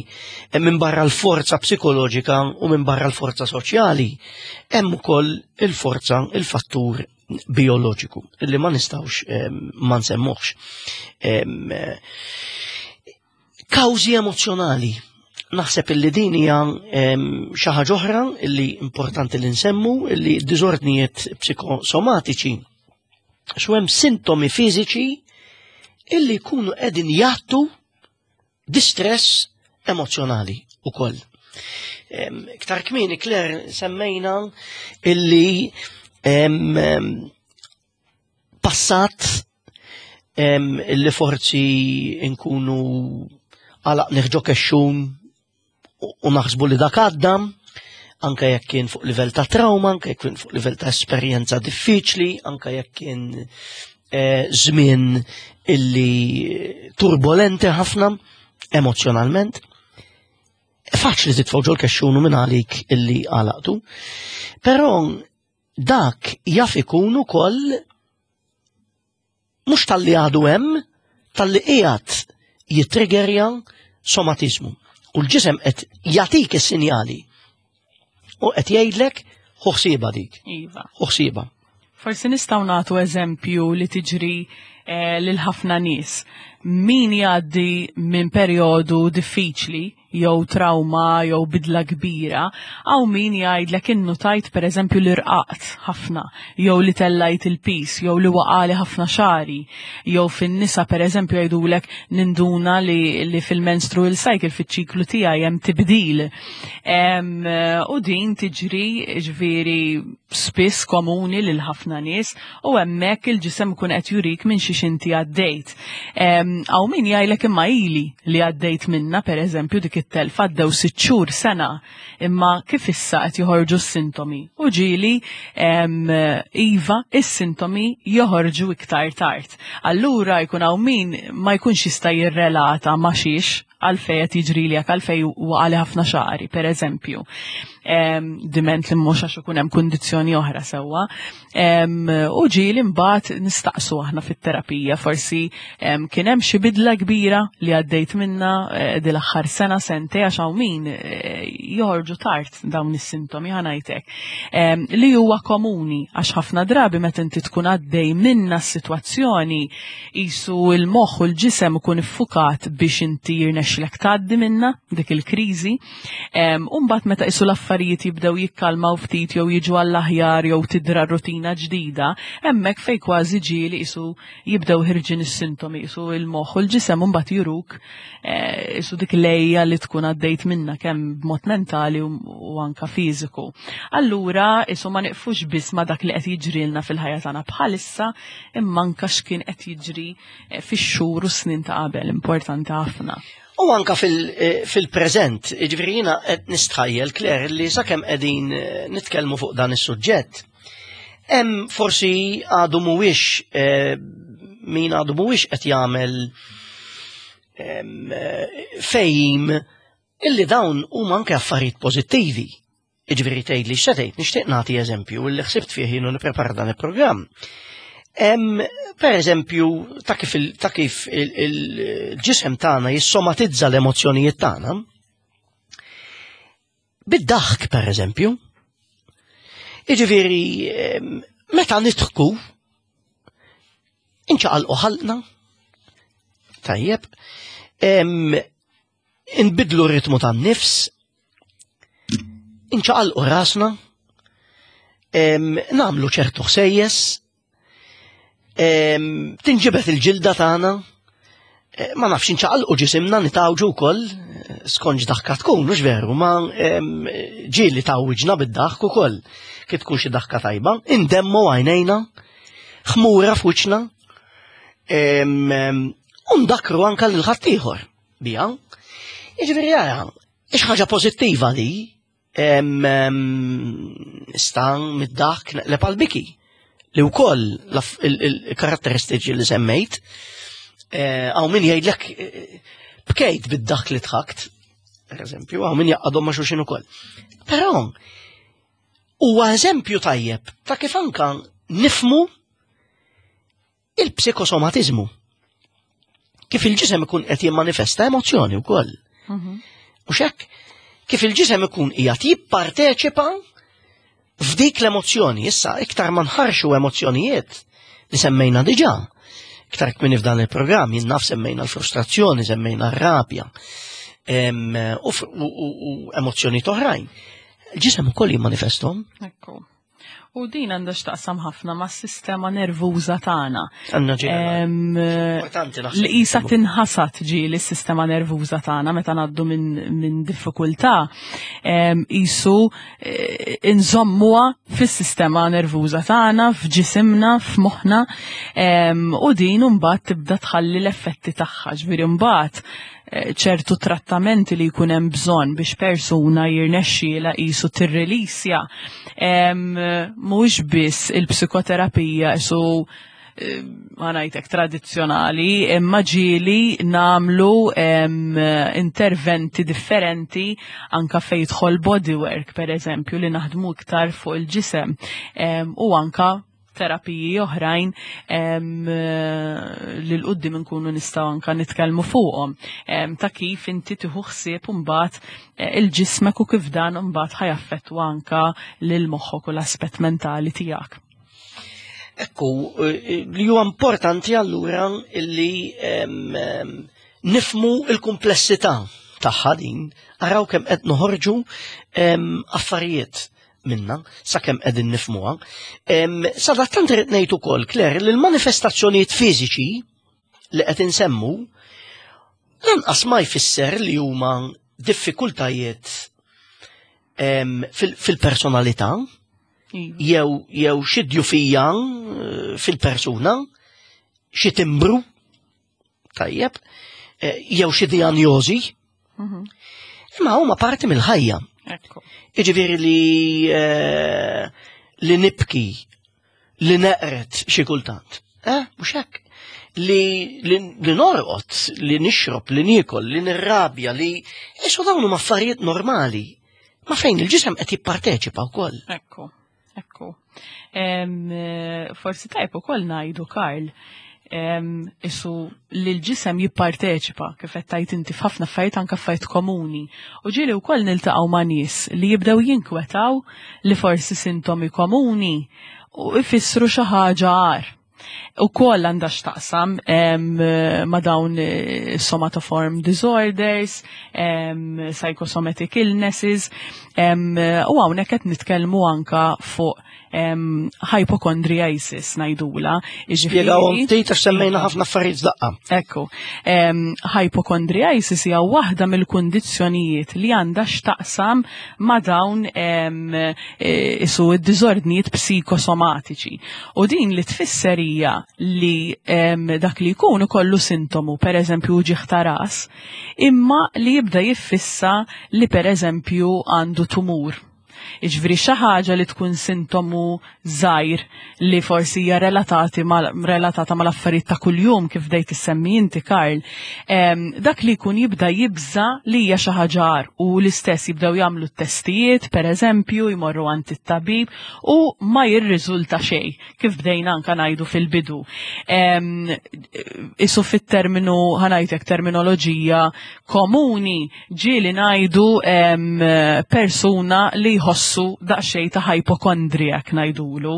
minn barra l-forza psikoloġika u minn barra l-forza soċjali, hemm ukoll il-forza, il-fattur bioloġiku, li ma nistawx ma nsemmuhx. Kawżi emozjonali. Naħseb illi din hija xi ħaġa oħra illi importanti li nsemmu illi diżordnijiet psikosomatiċi xu hemm sintomi fiżiċi illi jkunu qegħdin jgħattu distress emozjonali ukoll. Iktar kmieni Claire semmejna illi passat li forzi nkunu għalaq neħġo kexxun u naħsbu li dak għadda, anka jekk kien fuq livell ta' trauma, anka jekk kien fuq livell ta' esperjenza diffiċli, anka jekk kien eh, żmien illi turbolenti ħafna emozjonalment. Faċli titfgħu ġol kexxunu minn għalik illi għalaqtu. Però dak jaf ikun ukoll mhux talli għadu hemm, Talli qiegħed jittriggerja somatizmu. U l-ġisem qed jagħtik is-sinjali u qed jgħidlek ħu ħsiebha dik. Iva. Ħu ħsiebha. Forsi nistgħu nagħtu eżempju li tiġri eh, lil ħafna nies. Min jgħaddi minn perjodu diffiċli jew trauma jew bidla kbira, hawn min jgħidlek innutajt pereżempju li rqaqt ħafna, jew li tellajt il-piż, jew li waqali ħafna xagħri, jew fin-nisa pereżempju jgħidulek ninduna li, li fil-menstrual cycle fiċ-ċiklu tiegħi hemm tibdil. U din tiġri ġifieri spiss komuni lil ħafna nies u hemmhekk il-ġisem ikun qed jurik minn xiex inti għaddejt. Hawn min jgħidlek imma ili li għaddejt minna pereżempju dik it-telfa għaddew sitt xhur sena imma kif issa qed joħorġu s-sintomi. U ġieli iva is-sintomi joħorġu iktar tard. Allura jkun hawn min ma jkunx jista' jirrelata ma' xiex għalfej qed jiġrili hekk, għalfej waqali ħafna xagħri, per eżempju. Diment li mhux għax ikun hemm kundizzjoni oħra sewwa. U ġieli mbagħad nistaqsu aħna fit-terapija, forsi kien hemm xi bidla kbira li għaddejt minna eh, dil aħħar sena sentej għax hawn min eh, joħorġu tard dawn is-sintomi ħanajtek. Li huwa komuni għax ħafna drabi meta inti tkun għaddej minna s-sitwazzjoni Qisu l-moħħ u l-ġisem ikun iffukat biex inti jirnexxilek tgħaddi minnha dik il-kriżi. U mbagħad meta qisu l-affarijiet jibdew jikkalmaw ftit jew jiġu għall-aħjar jew tidra rutina ġdida, hemmhekk fejn kważi ġieli qisu jibdew ħirġin is-sintomi, qisu l-moħħ u l-ġisem mbagħad juruk eh, isu dik lejja li tkun għaddejt minna kemm b'mod mentali u anka fiżiku. Allura isu ma niqfux biss ma dak li qed jiġrilna fil-ħajja tagħna bħalissa imma anka x'kien qed jiġri eh, fix-xhur u snin ta' qabel, importanti ħafna. U anka eh, fil-preżent, jiġifieri jiena qed nistħajjel Claire li sakemm qegħdin eh, nitkellmu fuq dan is-suġġett, hemm forsi għadu mhuwiex min għadu mhuwiex qed jagħmel fejjim illi dawn huma anke affarijiet pożittivi. Jiġifieri tgħidli x'se tgħid, nixtieq nagħti eżempju li ħsibt fih jien u nipprepara dan il-programm. Per eżempju, ta' kif ta' kif il-ġisem tagħna jissomatizza l-emozzjonijiet tagħna. Bid-daħk, per eżempju. Jiġifieri, meta nidħku, inċaqalqu ħalqna. Tajjeb. Inbidlu r-ritmu tan-nifs, inċaqalqu rasna, nagħmlu ċertu ħsejjes, tinġibet il-ġilda tagħna, eh, ma nafx inċaqalqu ġisimna nitawġu wkoll eh, skonġ daħka tkun, mhux veru, ma ġieli tawġna bid-daħk ukoll kif tkun xi daħka tajba, indemmu għajnejna, ħmura f'wiċċna, u ndakru anka lil ħaddieħor. Bija. Jiġifieri ara, ix ħaġa pożittiva li stan mid-dak neqleb għal biki li wkoll il-karatteristiċi li semmejt eh, għaw min jgħidlek eh, bkejt bid-dak li tħakt, per eżempju, għaw min jaqadhom ma' xulxin ukoll. Però huwa eżempju tajjeb ta' kif anka nifmu Il-psikosomatiżmu. Kif il-ġisem ikun qed jimmanifesta emozzjoni wkoll. Mhm. U xekk, kif il-ġisem ikun qiegħed jipparteċipa f'dik l-emozzjoni, issa iktar ma nħarxu emozzjonijiet li semmejna diġà. Iktar kmini f'dan il-programm, jien naf semmejna l-frustrazzjoni, semmejna r-rabja u emozzjoni oħrajn. Il-ġisem ukoll jimmanifestom. Ekku. U din għandha x'taqsam ħafna mas-sistema nervuża tagħna. Għandna Importanti Li qisha tinħasad ġieli s-sistema nervuża tagħna meta ngħaddu minn min diffikultà qisu eh, inżommuha fis-sistema nervuża tagħna, f'ġisimna, f'moħħna u din imbagħad tibda tħalli l-effetti tagħha. Ġifieri mbagħad ċertu trattamenti li jkun hemm bżonn biex persuna jirnexxiela qisu tirrilisja mhux biss il-psikoterapija qisu eh, ma ngħidlek tradizzjonali, imma ġieli nagħmlu interventi differenti anka fejn jidħol bodywork pereżempju li naħdmu iktar fuq il-ġisem u anka terapiji oħrajn li l-qoddim nkunu nistgħu anka nitkellmu fuqhom ta' kif inti tieħu ħsieb imbagħad eh, il-ġismek u kif dan imbagħad ħajaffettwa anka lil moħħok u l-aspett mentali tiegħek. Ekku, eh, li huwa importanti allura li nifmu il-komplessità tagħha din, araw kemm qed noħorġu affarijiet minna, sakemm qegħdin nifmuha. Sadattant irid ngħid ukoll, Claire, li l-manifestazzjonijiet fiżiċi li qed insemmu lanqas ma jfisser li huma diffikultajiet fil-personalità iva. jew jew xi djufija eh, fil-persuna, xi timbru, tajjeb, eh, jew xi dijanjożi. Mhm. Imma huma parti mill-ħajja. Iġifieri li eh, li nibki, li neqret xi kultant. Eh, mhux hekk. Li, li, li norqod, li nixrob, li niekol, li nirrabja, li isu dawn huma affarijiet normali. Ma fejn il-ġisem qed jipparteċipa wkoll. Ekku. Ekku. Eh, forsi tajb ukoll ngħidu Karl, isu li l-ġisem jipparteċipa kif qed tgħid inti f'ħafna affarijiet anke affarijiet komuni. U ġieli wkoll niltaqgħu ma' nies li jibdew jinkwetaw li forsi sintomi komuni u ifissru xi ħaġa agħar. U koll għandha x'taqsam ma' dawn eh, somatoform disorders, psychosomatic illnesses, u hawnhekk qed nitkellmu anka fuq hypochondriasis ngħidula. Spjegawhom ftit għax semmejna ħafna affarijiet daqqa. Ekku. Hypochondriasis hija waħda mill-kundizzjonijiet li għandha x'taqsam ma' dawn e, isu id-diżordnijiet psikosomatiċi. U din li tfisser hija li dak li jkun ikollu sintomu, per eżempju uġigħ ta' ras, imma li jibda jiffissa li per eżempju għandu tumur. Iġveri xi ħaġa li tkun sintomu żgħir li forsi hija relatati mal, relatata mal-affarijiet ta' kuljum kif dejt issemmi inti Karl, dak li jkun jibda jibża li hija xi ħaġa u l-istess jibdew jagħmlu t-testijiet, pereżempju, jmorru għand it-tabib u ma jirriżulta xejn, kif bdejna anka ngħidu fil-bidu. Isu fit-terminu ħanajtek terminoloġija komuni ġieli ngħidu persuna li jħossu daqsxejn ta' hypochondriac ngħidulu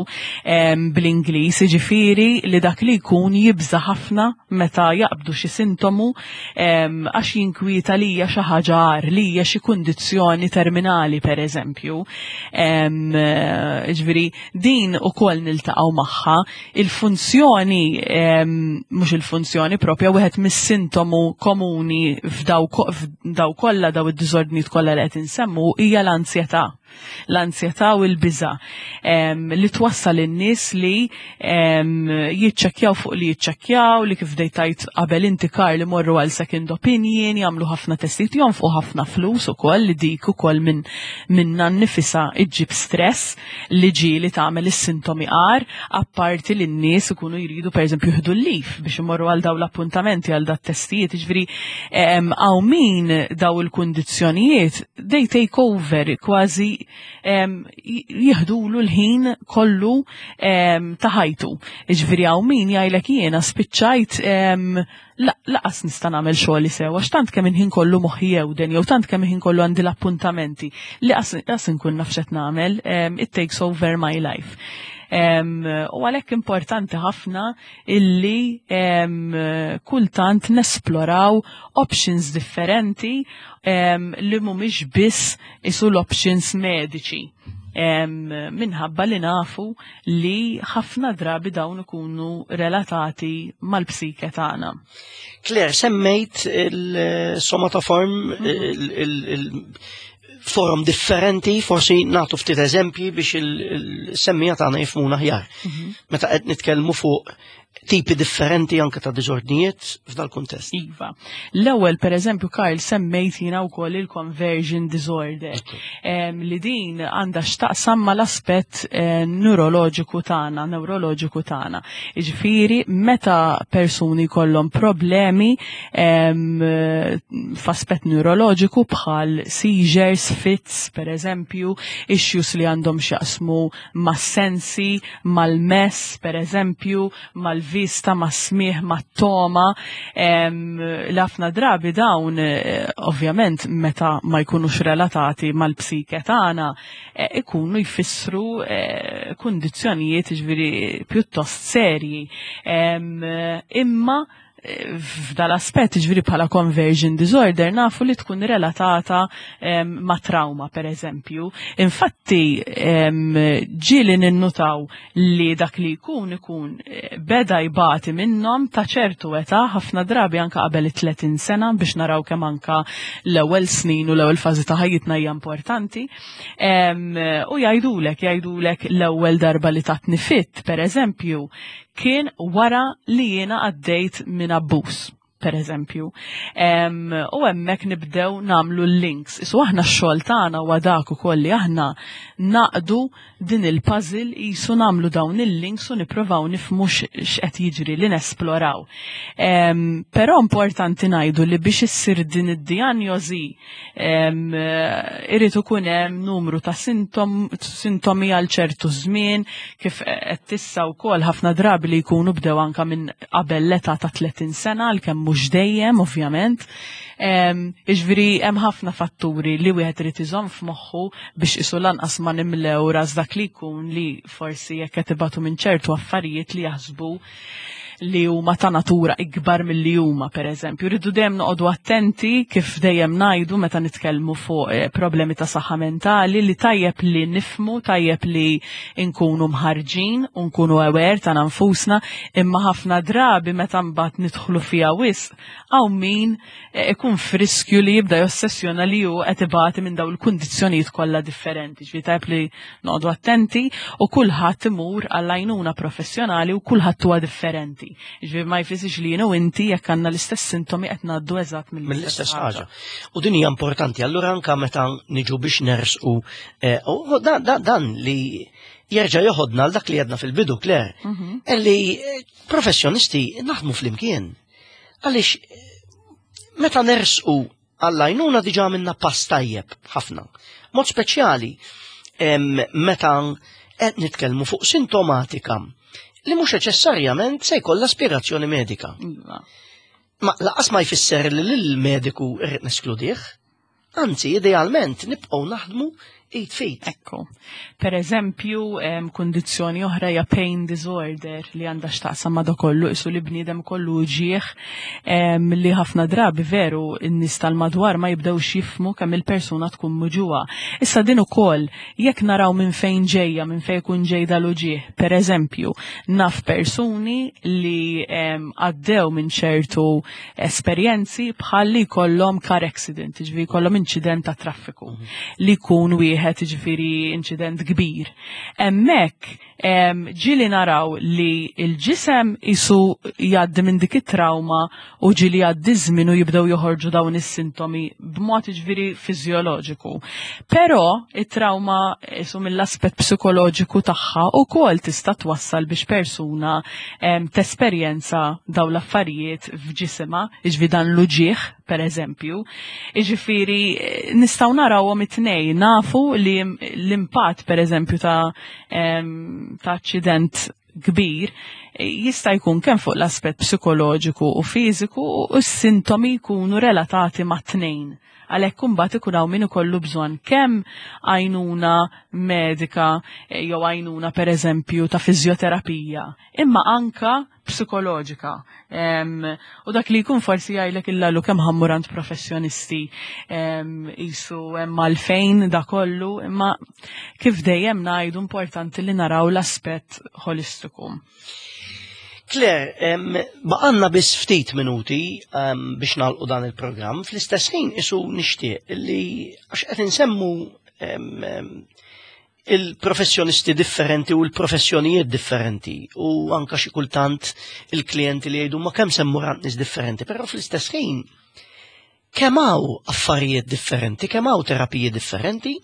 bl-Ingliż, jiġifieri li dak li jkun jibża' ħafna meta jaqbdu xi sintomu għax jinkwieta li hija xi ħaġa agħar, li hija xi kundizzjoni terminali pereżempju. Ġifieri din ukoll niltaqgħu magħha il-funzjoni mhux il-funzjoni propja wieħed mis-sintomu komuni f'daw kollha daw id-diżordnijiet kollha li qed insemmu hija l-anzjetà. L-anzjetà u l-biża li twassal in-nies li jiċċekkjaw fuq li jiċċekkjaw li kif dejtajt qabel inti kar li morru għal second opinion, jagħmlu ħafna testijiet jonfqu ħafna flus ukoll li dik ukoll minn minna nnifisha iġġib stress li ġieli tagħmel is-sintomi agħar, apparti li n-nies ikunu jridu pereżempju jieħdu l-lif biex imorru għal daw l-appuntamenti għal dat testijiet, jiġifieri hawn min daw il-kundizzjonijiet they take over kważi jieħdulu l-ħin kollu ta' ħajtu. Jiġifieri hawn min jgħidlek jiena spiċċajt laqas nista' nagħmel xogħli sew għax tant kemm il-ħin kollu moħħi jewden jew tant kemm il-ħin kollu għandi l-appuntamenti li qas inkun naf x'qed nagħmel, it takes over my life. U għalhekk importanti ħafna illi kultant nesploraw options differenti li mhumiex biss isu l-options mediċi minħabba li nafu li ħafna drabi dawn ikunu relatati mal-psike tagħna. Claire, semmejt il-somatoform, il-forum differenti, forsi nagħtu ftit eżempji biex il-semmija tagħna jifhmuna aħjar. Mhm. Meta qed nitkellmu fuq tipi differenti anke ta' diżordnijiet f'dal kuntest. Iva. L-ewwel pereżempju Karl semmejt jiena wkoll il-conversion disorder li din għandha x'taqsam mal-aspett eh, neuroloġiku tagħna, neuroloġiku tagħna. Jiġifieri meta persuni jkollhom problemi f'aspett neuroloġiku bħal seizures, fits pereżempju, issues li għandhom x'jaqsmu mas-sensi, mal-mess, per eżempju, mal-vista, mas-smigħ, mat-togħma, li ħafna drabi dawn, eh, ovvjament, meta ma jkunux relatati mal-psike tagħna, eh, ikunu jfissru eh, kundizzjonijiet ġifieri pjuttost serji. Imma f'dal-aspett, ġifieri bħala conversion disorder, nafu li tkun relatata ma' trauma, per eżempju. Infatti, ġieli ninnutaw li dak li jkun ikun eh, beda jbati minnhom ta' ċertu età, ħafna drabi anka qabel it-30 sena biex naraw kemm anka l-ewwel snin u l-ewwel fażi ta' ħajjitna hija importanti. U jgħidulek, jgħidulek l-ewwel darba li tatni fit, per eżempju, kien wara li jiena għaddejt minn abbuż per eżempju. U hemmhekk nibdew nagħmlu l-links. Isu aħna x-xogħol tagħna huwa dak ukoll li aħna naqdu din il-puzzle jisu nagħmlu dawn il-links u nippruvaw nifhmu x'qed jiġri li nesploraw. Però importanti ngħidu li biex issir din id-dijanjosi Irid ikun hemm numru ta' sintomi għal ċertu żmien kif qed tissa wkoll ħafna drabi li jkunu bdew anka minn qabel l-età ta' 30 sena għalkemm mhux dejjem ovvjament. Jiġifieri hemm ħafna fatturi li wieħed irid iżomm f'moħħu biex isu lanqas ma nimlew ras dak li jkun li forsi jekk qed ibatu minn ċertu affarijiet li jaħsbu li huma ta' natura ikbar milli huma pereżempju. Rridu dejjem noqogħdu attenti kif dejjem ngħidu meta nitkellmu fuq eh, problemi ta' saħħa mentali li tajjeb li nifmu, tajjeb li nkunu mħarġin u nkunu aware ta' nfusna, imma ħafna drabi meta mbagħad nidħlu fiha wisq hawn min eh, ikun friskju li jibda jossessjona li hu qed ibati minn dawn il-kundizzjonijiet kollha differenti. Ġifieri tajjeb li noqogħdu attenti u kulħadd imur għall-għajnuna professjonali u kulħadd huwa differenti. Ġifieri ma jfissirx li jien u inti jekk għandna l-istess sintomi qed ngħaddu eżatt mill-istess ħaġa. U din hija importanti, allura anka meta niġu biex nersqu eh, u dan li jerġa' joħodna għal dak li għedna fil-bidu, Claire, mhm. li eh, professjonisti naħdmu flimkien. Għaliex meta nersqu għall-għajnuna diġà għamilna pass tajjeb ħafna. Mod speċjali meta qed nitkellmu fuq sintomatika li mhux neċessarjament se jkollha spjegazzjoni medika. Iva. Ma laqas ma jfisser li lill-mediku irrid neskludih. Anzi, idealment nibqgħu naħdmu id f'id. Ekku. Per eżempju, kundizzjoni oħra hija pain disorder li għandha x'taqsam ma' kollu isu li bniedem kollu ġieħ li ħafna drabi veru n-nies tal-madwar ma jibdewx jifmu kemm il-persuna tkun muġuha. Issa din ukoll jekk naraw minn fejn ġejja, minn fejn ikun ġej dal-uġieħ. Per eżempju, naf persuni li għaddew minn ċertu esperjenzi bħal li jkollhom car accident, jiġifieri jkollhom inċident ta' traffiku li jkun wieħed jiġifieri inċident kbir. Hemmhekk ġieli naraw li l-ġisem isu jgħaddi minn dik it-trauma u ġieli jgħaddi żmien u jibdew joħorġu dawn is-sintomi b'mod jiġifieri fiżjoloġiku. Però it-trauma isu mill-aspett psikoloġiku tagħha ukoll tista' twassal biex persuna tesperjenza dawn l-affarijiet f'ġisimha, jiġifieri dan l-uġigħ pereżempju. Jiġifieri nistgħu narawhom it-tnejn, nafu li l-impatt pereżempju ta' ta' aċċident kbir jista' jkun kemm fuq l-aspett psikoloġiku u fiżiku u s-sintomi jkunu relatati mat-tnejn. Għalhekk imbagħad ikun hawn min ikollu bżonn kemm għajnuna medika eh, jew għajnuna pereżempju ta' fiżjoterapija, imma anka psikoloġika. U dak li jkun forsi jgħidlek illalu kemm ħammurant professjonisti jisu hemm għalfejn da kollu, imma kif dejjem ngħidu importanti li naraw l-aspett holistiku. Claire, baqanna biss ftit minuti biex nagħlqu dan il-programm, fl-istess ħin isu nixtieq li għax qed insemmu il-professjonisti differenti u l-professjonijiet differenti u anka xi kultant il-klijenti li jgħidu ma kemm semmu nies differenti, però fl-istess ħin kemm hawn affarijiet differenti, kemm hawn terapiji differenti,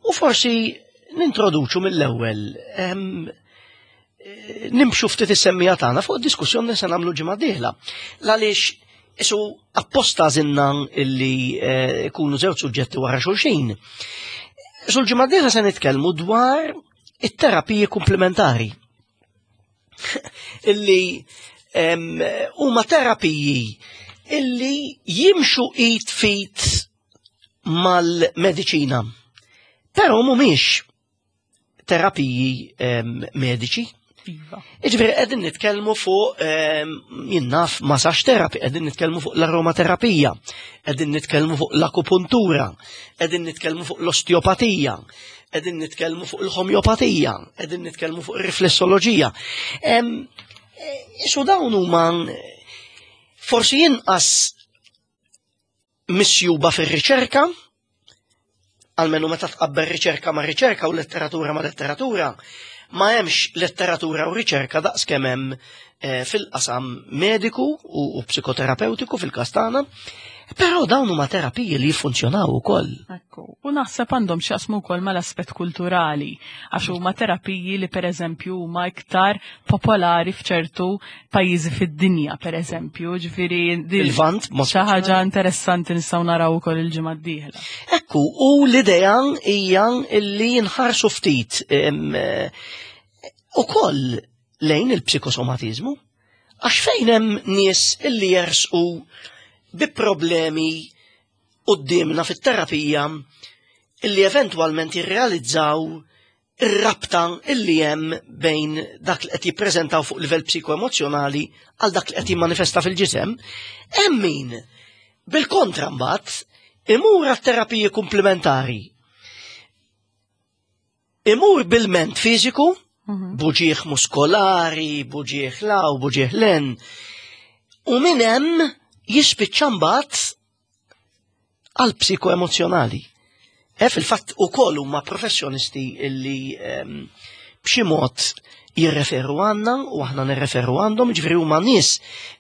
u forsi nintroduċu mill-ewwel nimxu ftit is-semmija tagħna fuq diskussjoni li se nagħmlu ġimgħa dieħla. Għaliex isu apposta zinna illi eh, ikunu żewġ suġġetti wara xulxin. Sul ġimgħa dieħla se nitkellmu dwar it-terapiji komplementari. illi huma terapiji illi jimxu id fit mal-mediċina. Però mhumiex terapiji mediċi. Iva. Iġifieri qegħdin nitkellmu fuq jinnaf massage therapy, qegħdin nitkellmu fuq l-aromaterapija, qegħdin nitkellmu fuq l-akupuntura, qegħdin nitkellmu fuq l-osteopatija, qegħdin nitkellmu fuq il-homeopatija, qegħdin nitkellmu fuq ir-riflessoloġija. Isu dawn huma forsi inqas misjuba fir-riċerka, almenu meta tqabbel riċerka ma' riċerka u letteratura ma' letteratura, ma hemmx letteratura u riċerka daqs kemm hemm eh, fil-qasam mediku u psikoterapeutiku fil-każ tagħna, però dawn huma terapiji li jiffunzjonaw ukoll. Ekku, u naħseb għandhom x'jaqsmu wkoll mal-aspett kulturali, għax huma terapiji li pereżempju huma iktar popolari f'ċertu pajjiżi fid-dinja, pereżempju, ġifieri il-Lvant xi ħaġa interessanti nistgħu naraw ukoll il-ġimgħa d-dieħla. Ekku, u l-idea hija li nħarsu ftit ukoll lejn il-psikosomatiżmu, għax fejn hemm nies illi jersqu bi problemi qudiemna fit-terapija illi eventwalment jirrealizzaw ir-rabta illi hemm bejn dak li qed jippreżentaw fuq livell psikoemozzjonali għal dak li qed jimmanifesta fil-ġisem, hemm min bil-kontra mbagħad imur għat-terapiji komplementari. Imur bil-ment fiżiku, mhm. buġieħ muskolari, buġieħ law, buġieħ len, u minn hemm jispiċċa mbagħad għal psikoemozjonali. E fil-fatt ukoll huma professjonisti illi ehm, b'xi mod jirreferu għandna u aħna nirreferu għandhom, ġifieri huma nies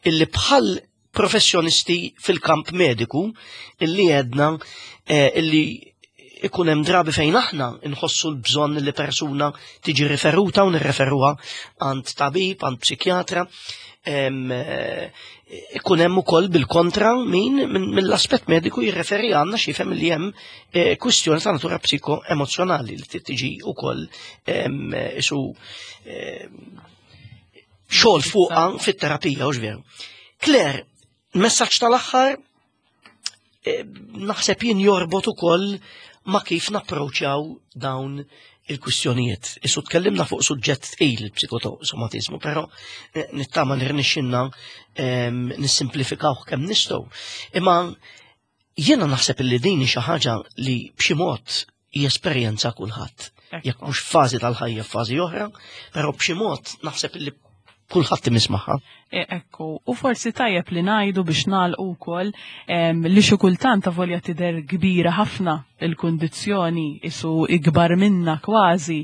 illi bħal professjonisti fil-kamp mediku illi għedna eh, illi ikun hemm drabi fejn aħna nħossu l-bżonn li persuna tiġi riferuta u nirreferuha għand tabib, għand psikjatra. Eh, ikun hemm ukoll bil-kontra min mill-aspett mediku jirreferi għandna xi fem li hemm eh, kwistjoni ta' natura psikoemozzjonali li tiġi ukoll isu xogħol fuqha fit-terapija u veru. Claire, messaġġ tal-aħħar eh, naħseb jien jorbot ukoll ma' kif napproċċjaw dawn il-kwistjonijiet. Issu tkellimna fuq suġġett tqil il-psikosomatizmu, però eh, nittama li rnexxinna ehm, nissimplifikawh kemm nistgħu. Imma jiena naħseb li din xi ħaġa li b'xi mod jesperjenza kulħadd. Jekk mhux fażi tal-ħajja f'fażi oħra, però b'xi mod naħseb li kulħadd imiss magħha. E, ekku, u forsi tajjeb li ngħidu biex nagħlqu wkoll li xi kultant avolja tidher kbira ħafna il-kundizzjoni isu ikbar minna kważi,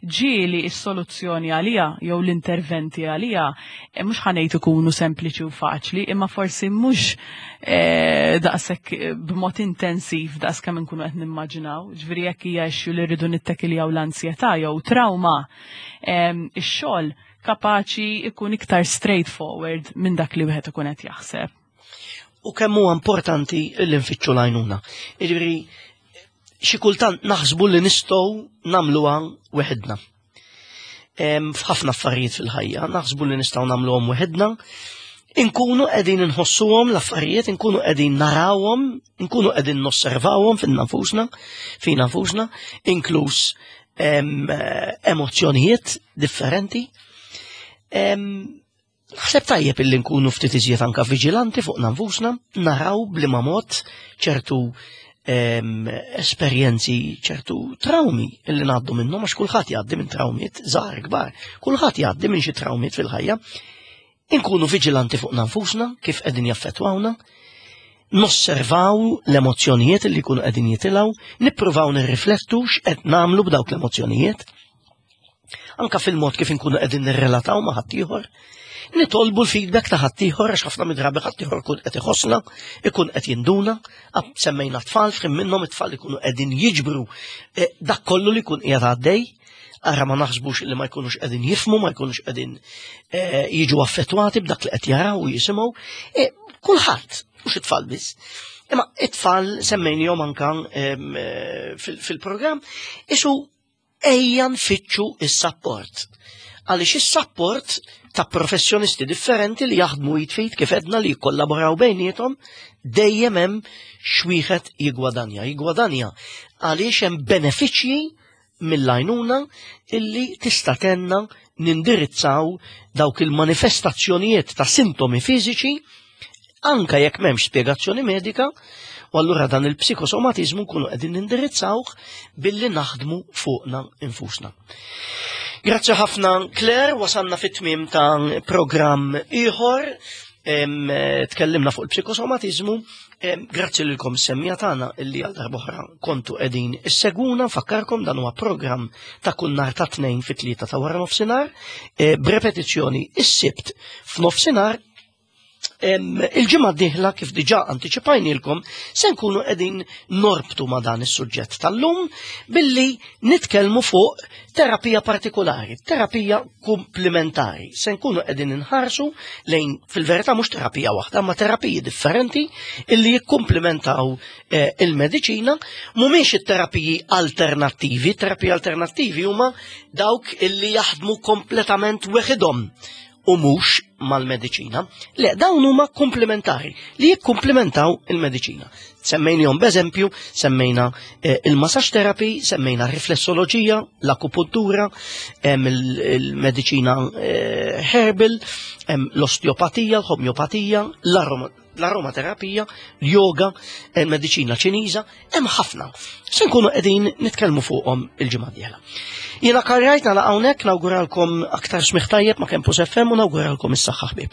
ġieli s-soluzzjoni għaliha jew l-interventi għaliha e, mhux ħanejt ikunu sempliċi u faċli, imma forsi mhux e, daqshekk b'mod intensiv daqs kemm inkunu qed nimmaġinaw. Ġifieri jekk hija issue li rridu nittekiljaw l-ansjetà jew trauma, ix-xogħol kapaċi ikun iktar straightforward minn dak li wieħed ikun qed jaħseb. U kemm huwa importanti li nfittxu l-għajnuna. Jiġifieri xi kultant naħsbu li nistgħu nagħmluha weħidna. F'ħafna affarijiet fil-ħajja naħsbu li nistgħu nagħmluhom weħidna, inkunu qegħdin inħossuhom l-affarijiet, inkunu qegħdin narawhom, inkunu qegħdin nosservawhom finna nfusna, fina nfusna, inkluż emozzjonijiet differenti. Naħseb tajjeb illi nkunu ftit iżjed anka viġilanti fuq nfusna, naraw bliema mod ċertu esperjenzi, ċertu traumi illi ngħaddu minnhom għax kulħadd jgħaddi minn trawmiet żgħar kbar, kulħadd jgħaddi minn xi trawmiet fil-ħajja. Inkunu viġilanti fuq nfusna kif qegħdin jaffettwawna. Nosservaw l-emozzjonijiet li jkunu qegħdin jitilgħu, nippruvaw nirriflettu x'qed nagħmlu b'dawk l-emozzjonijiet. Anka fil-mod kif inkunu qegħdin nirrelataw ma' ħaddieħor. Nitolbu l-feedback ta' ħaddieħor għax ħafna mid-drabi ħaddieħor ikun qed iħossna, ikun qed jinduna, semmejna tfal f'ħin minnhom it-tfal ikunu qegħdin jiġbru eh, dak kollu li jkun qiegħed għaddej ara ma naħsbux li ma jkunux qegħdin jifmu, ma jkunux qegħdin eh, jiġu affettwati b'dak li qed jaraw u jisimgħu. Eh, kulħadd, mhux it-tfal biss. Imma it-tfal semmejnihom anka eh, fil-programm, isu ejja nfittxu is-sapport. Għaliex is-sapport ta' professjonisti differenti li jaħdmu jitfit kif edna li jikkollaboraw bejniethom dejjem hemm xwieħed jigwadanja. Jigwadanja għaliex hemm benefiċċji mill-għajnuna illi tista' tenna nindirizzaw dawk il-manifestazzjonijiet ta' sintomi fiżiċi anka jekk m'hemmx spjegazzjoni medika, u allura dan il-psikosomatiżmu nkunu qegħdin nindirizzawh billi naħdmu fuqna infusna. Grazzi ħafna Claire, wasalna fit-tmiem ta' programm ieħor, tkellimna fuq il-psikosomatiżmu, grazzi lilkom semmija tagħna illi għal darb'oħra kontu qegħdin issegwuna, nfakkarkom dan huwa programm ta' kull nhar ta' tnejn fit-tlieta ta' wara nofsinhar, eh, b'repetizzjoni is-Sibt f'nofsinhar. Il-ġimgħa d-dieħla kif diġà antiċipajnilkom se nkunu qegħdin norbtu ma' dan is-suġġett tal-lum billi nitkellmu fuq terapija partikolari, terapija komplementari. Se nkunu qegħdin inħarsu lejn fil-verità mhux terapija waħda, ma terapiji differenti illi jikkumplementaw eh, il-mediċina, mhumiex it-terapiji alternattivi, terapiji alternattivi huma dawk illi jaħdmu kompletament weħidhom u mhux mal-mediċina. Le, dawn huma komplementari li jikkumplementaw il-mediċina. Semmejnihom b'eżempju, semmejna eh, il-massage therapy, semmejna riflessoloġija, l-akupuntura, il-mediċina eh, herbal, l-osteopatija, l-homeopatija, l-aromaterapija, l-yoga, il-mediċina ċiniża, hemm ħafna. Se nkunu qegħdin nitkellmu fuqhom il-ġimgħa dieħla. Jiena karrajt nagħlaq hawnhekk nawguralkom aktar smigħ tajjeb ma' Campus FM u nawguralkom is-saħħa ħbieb.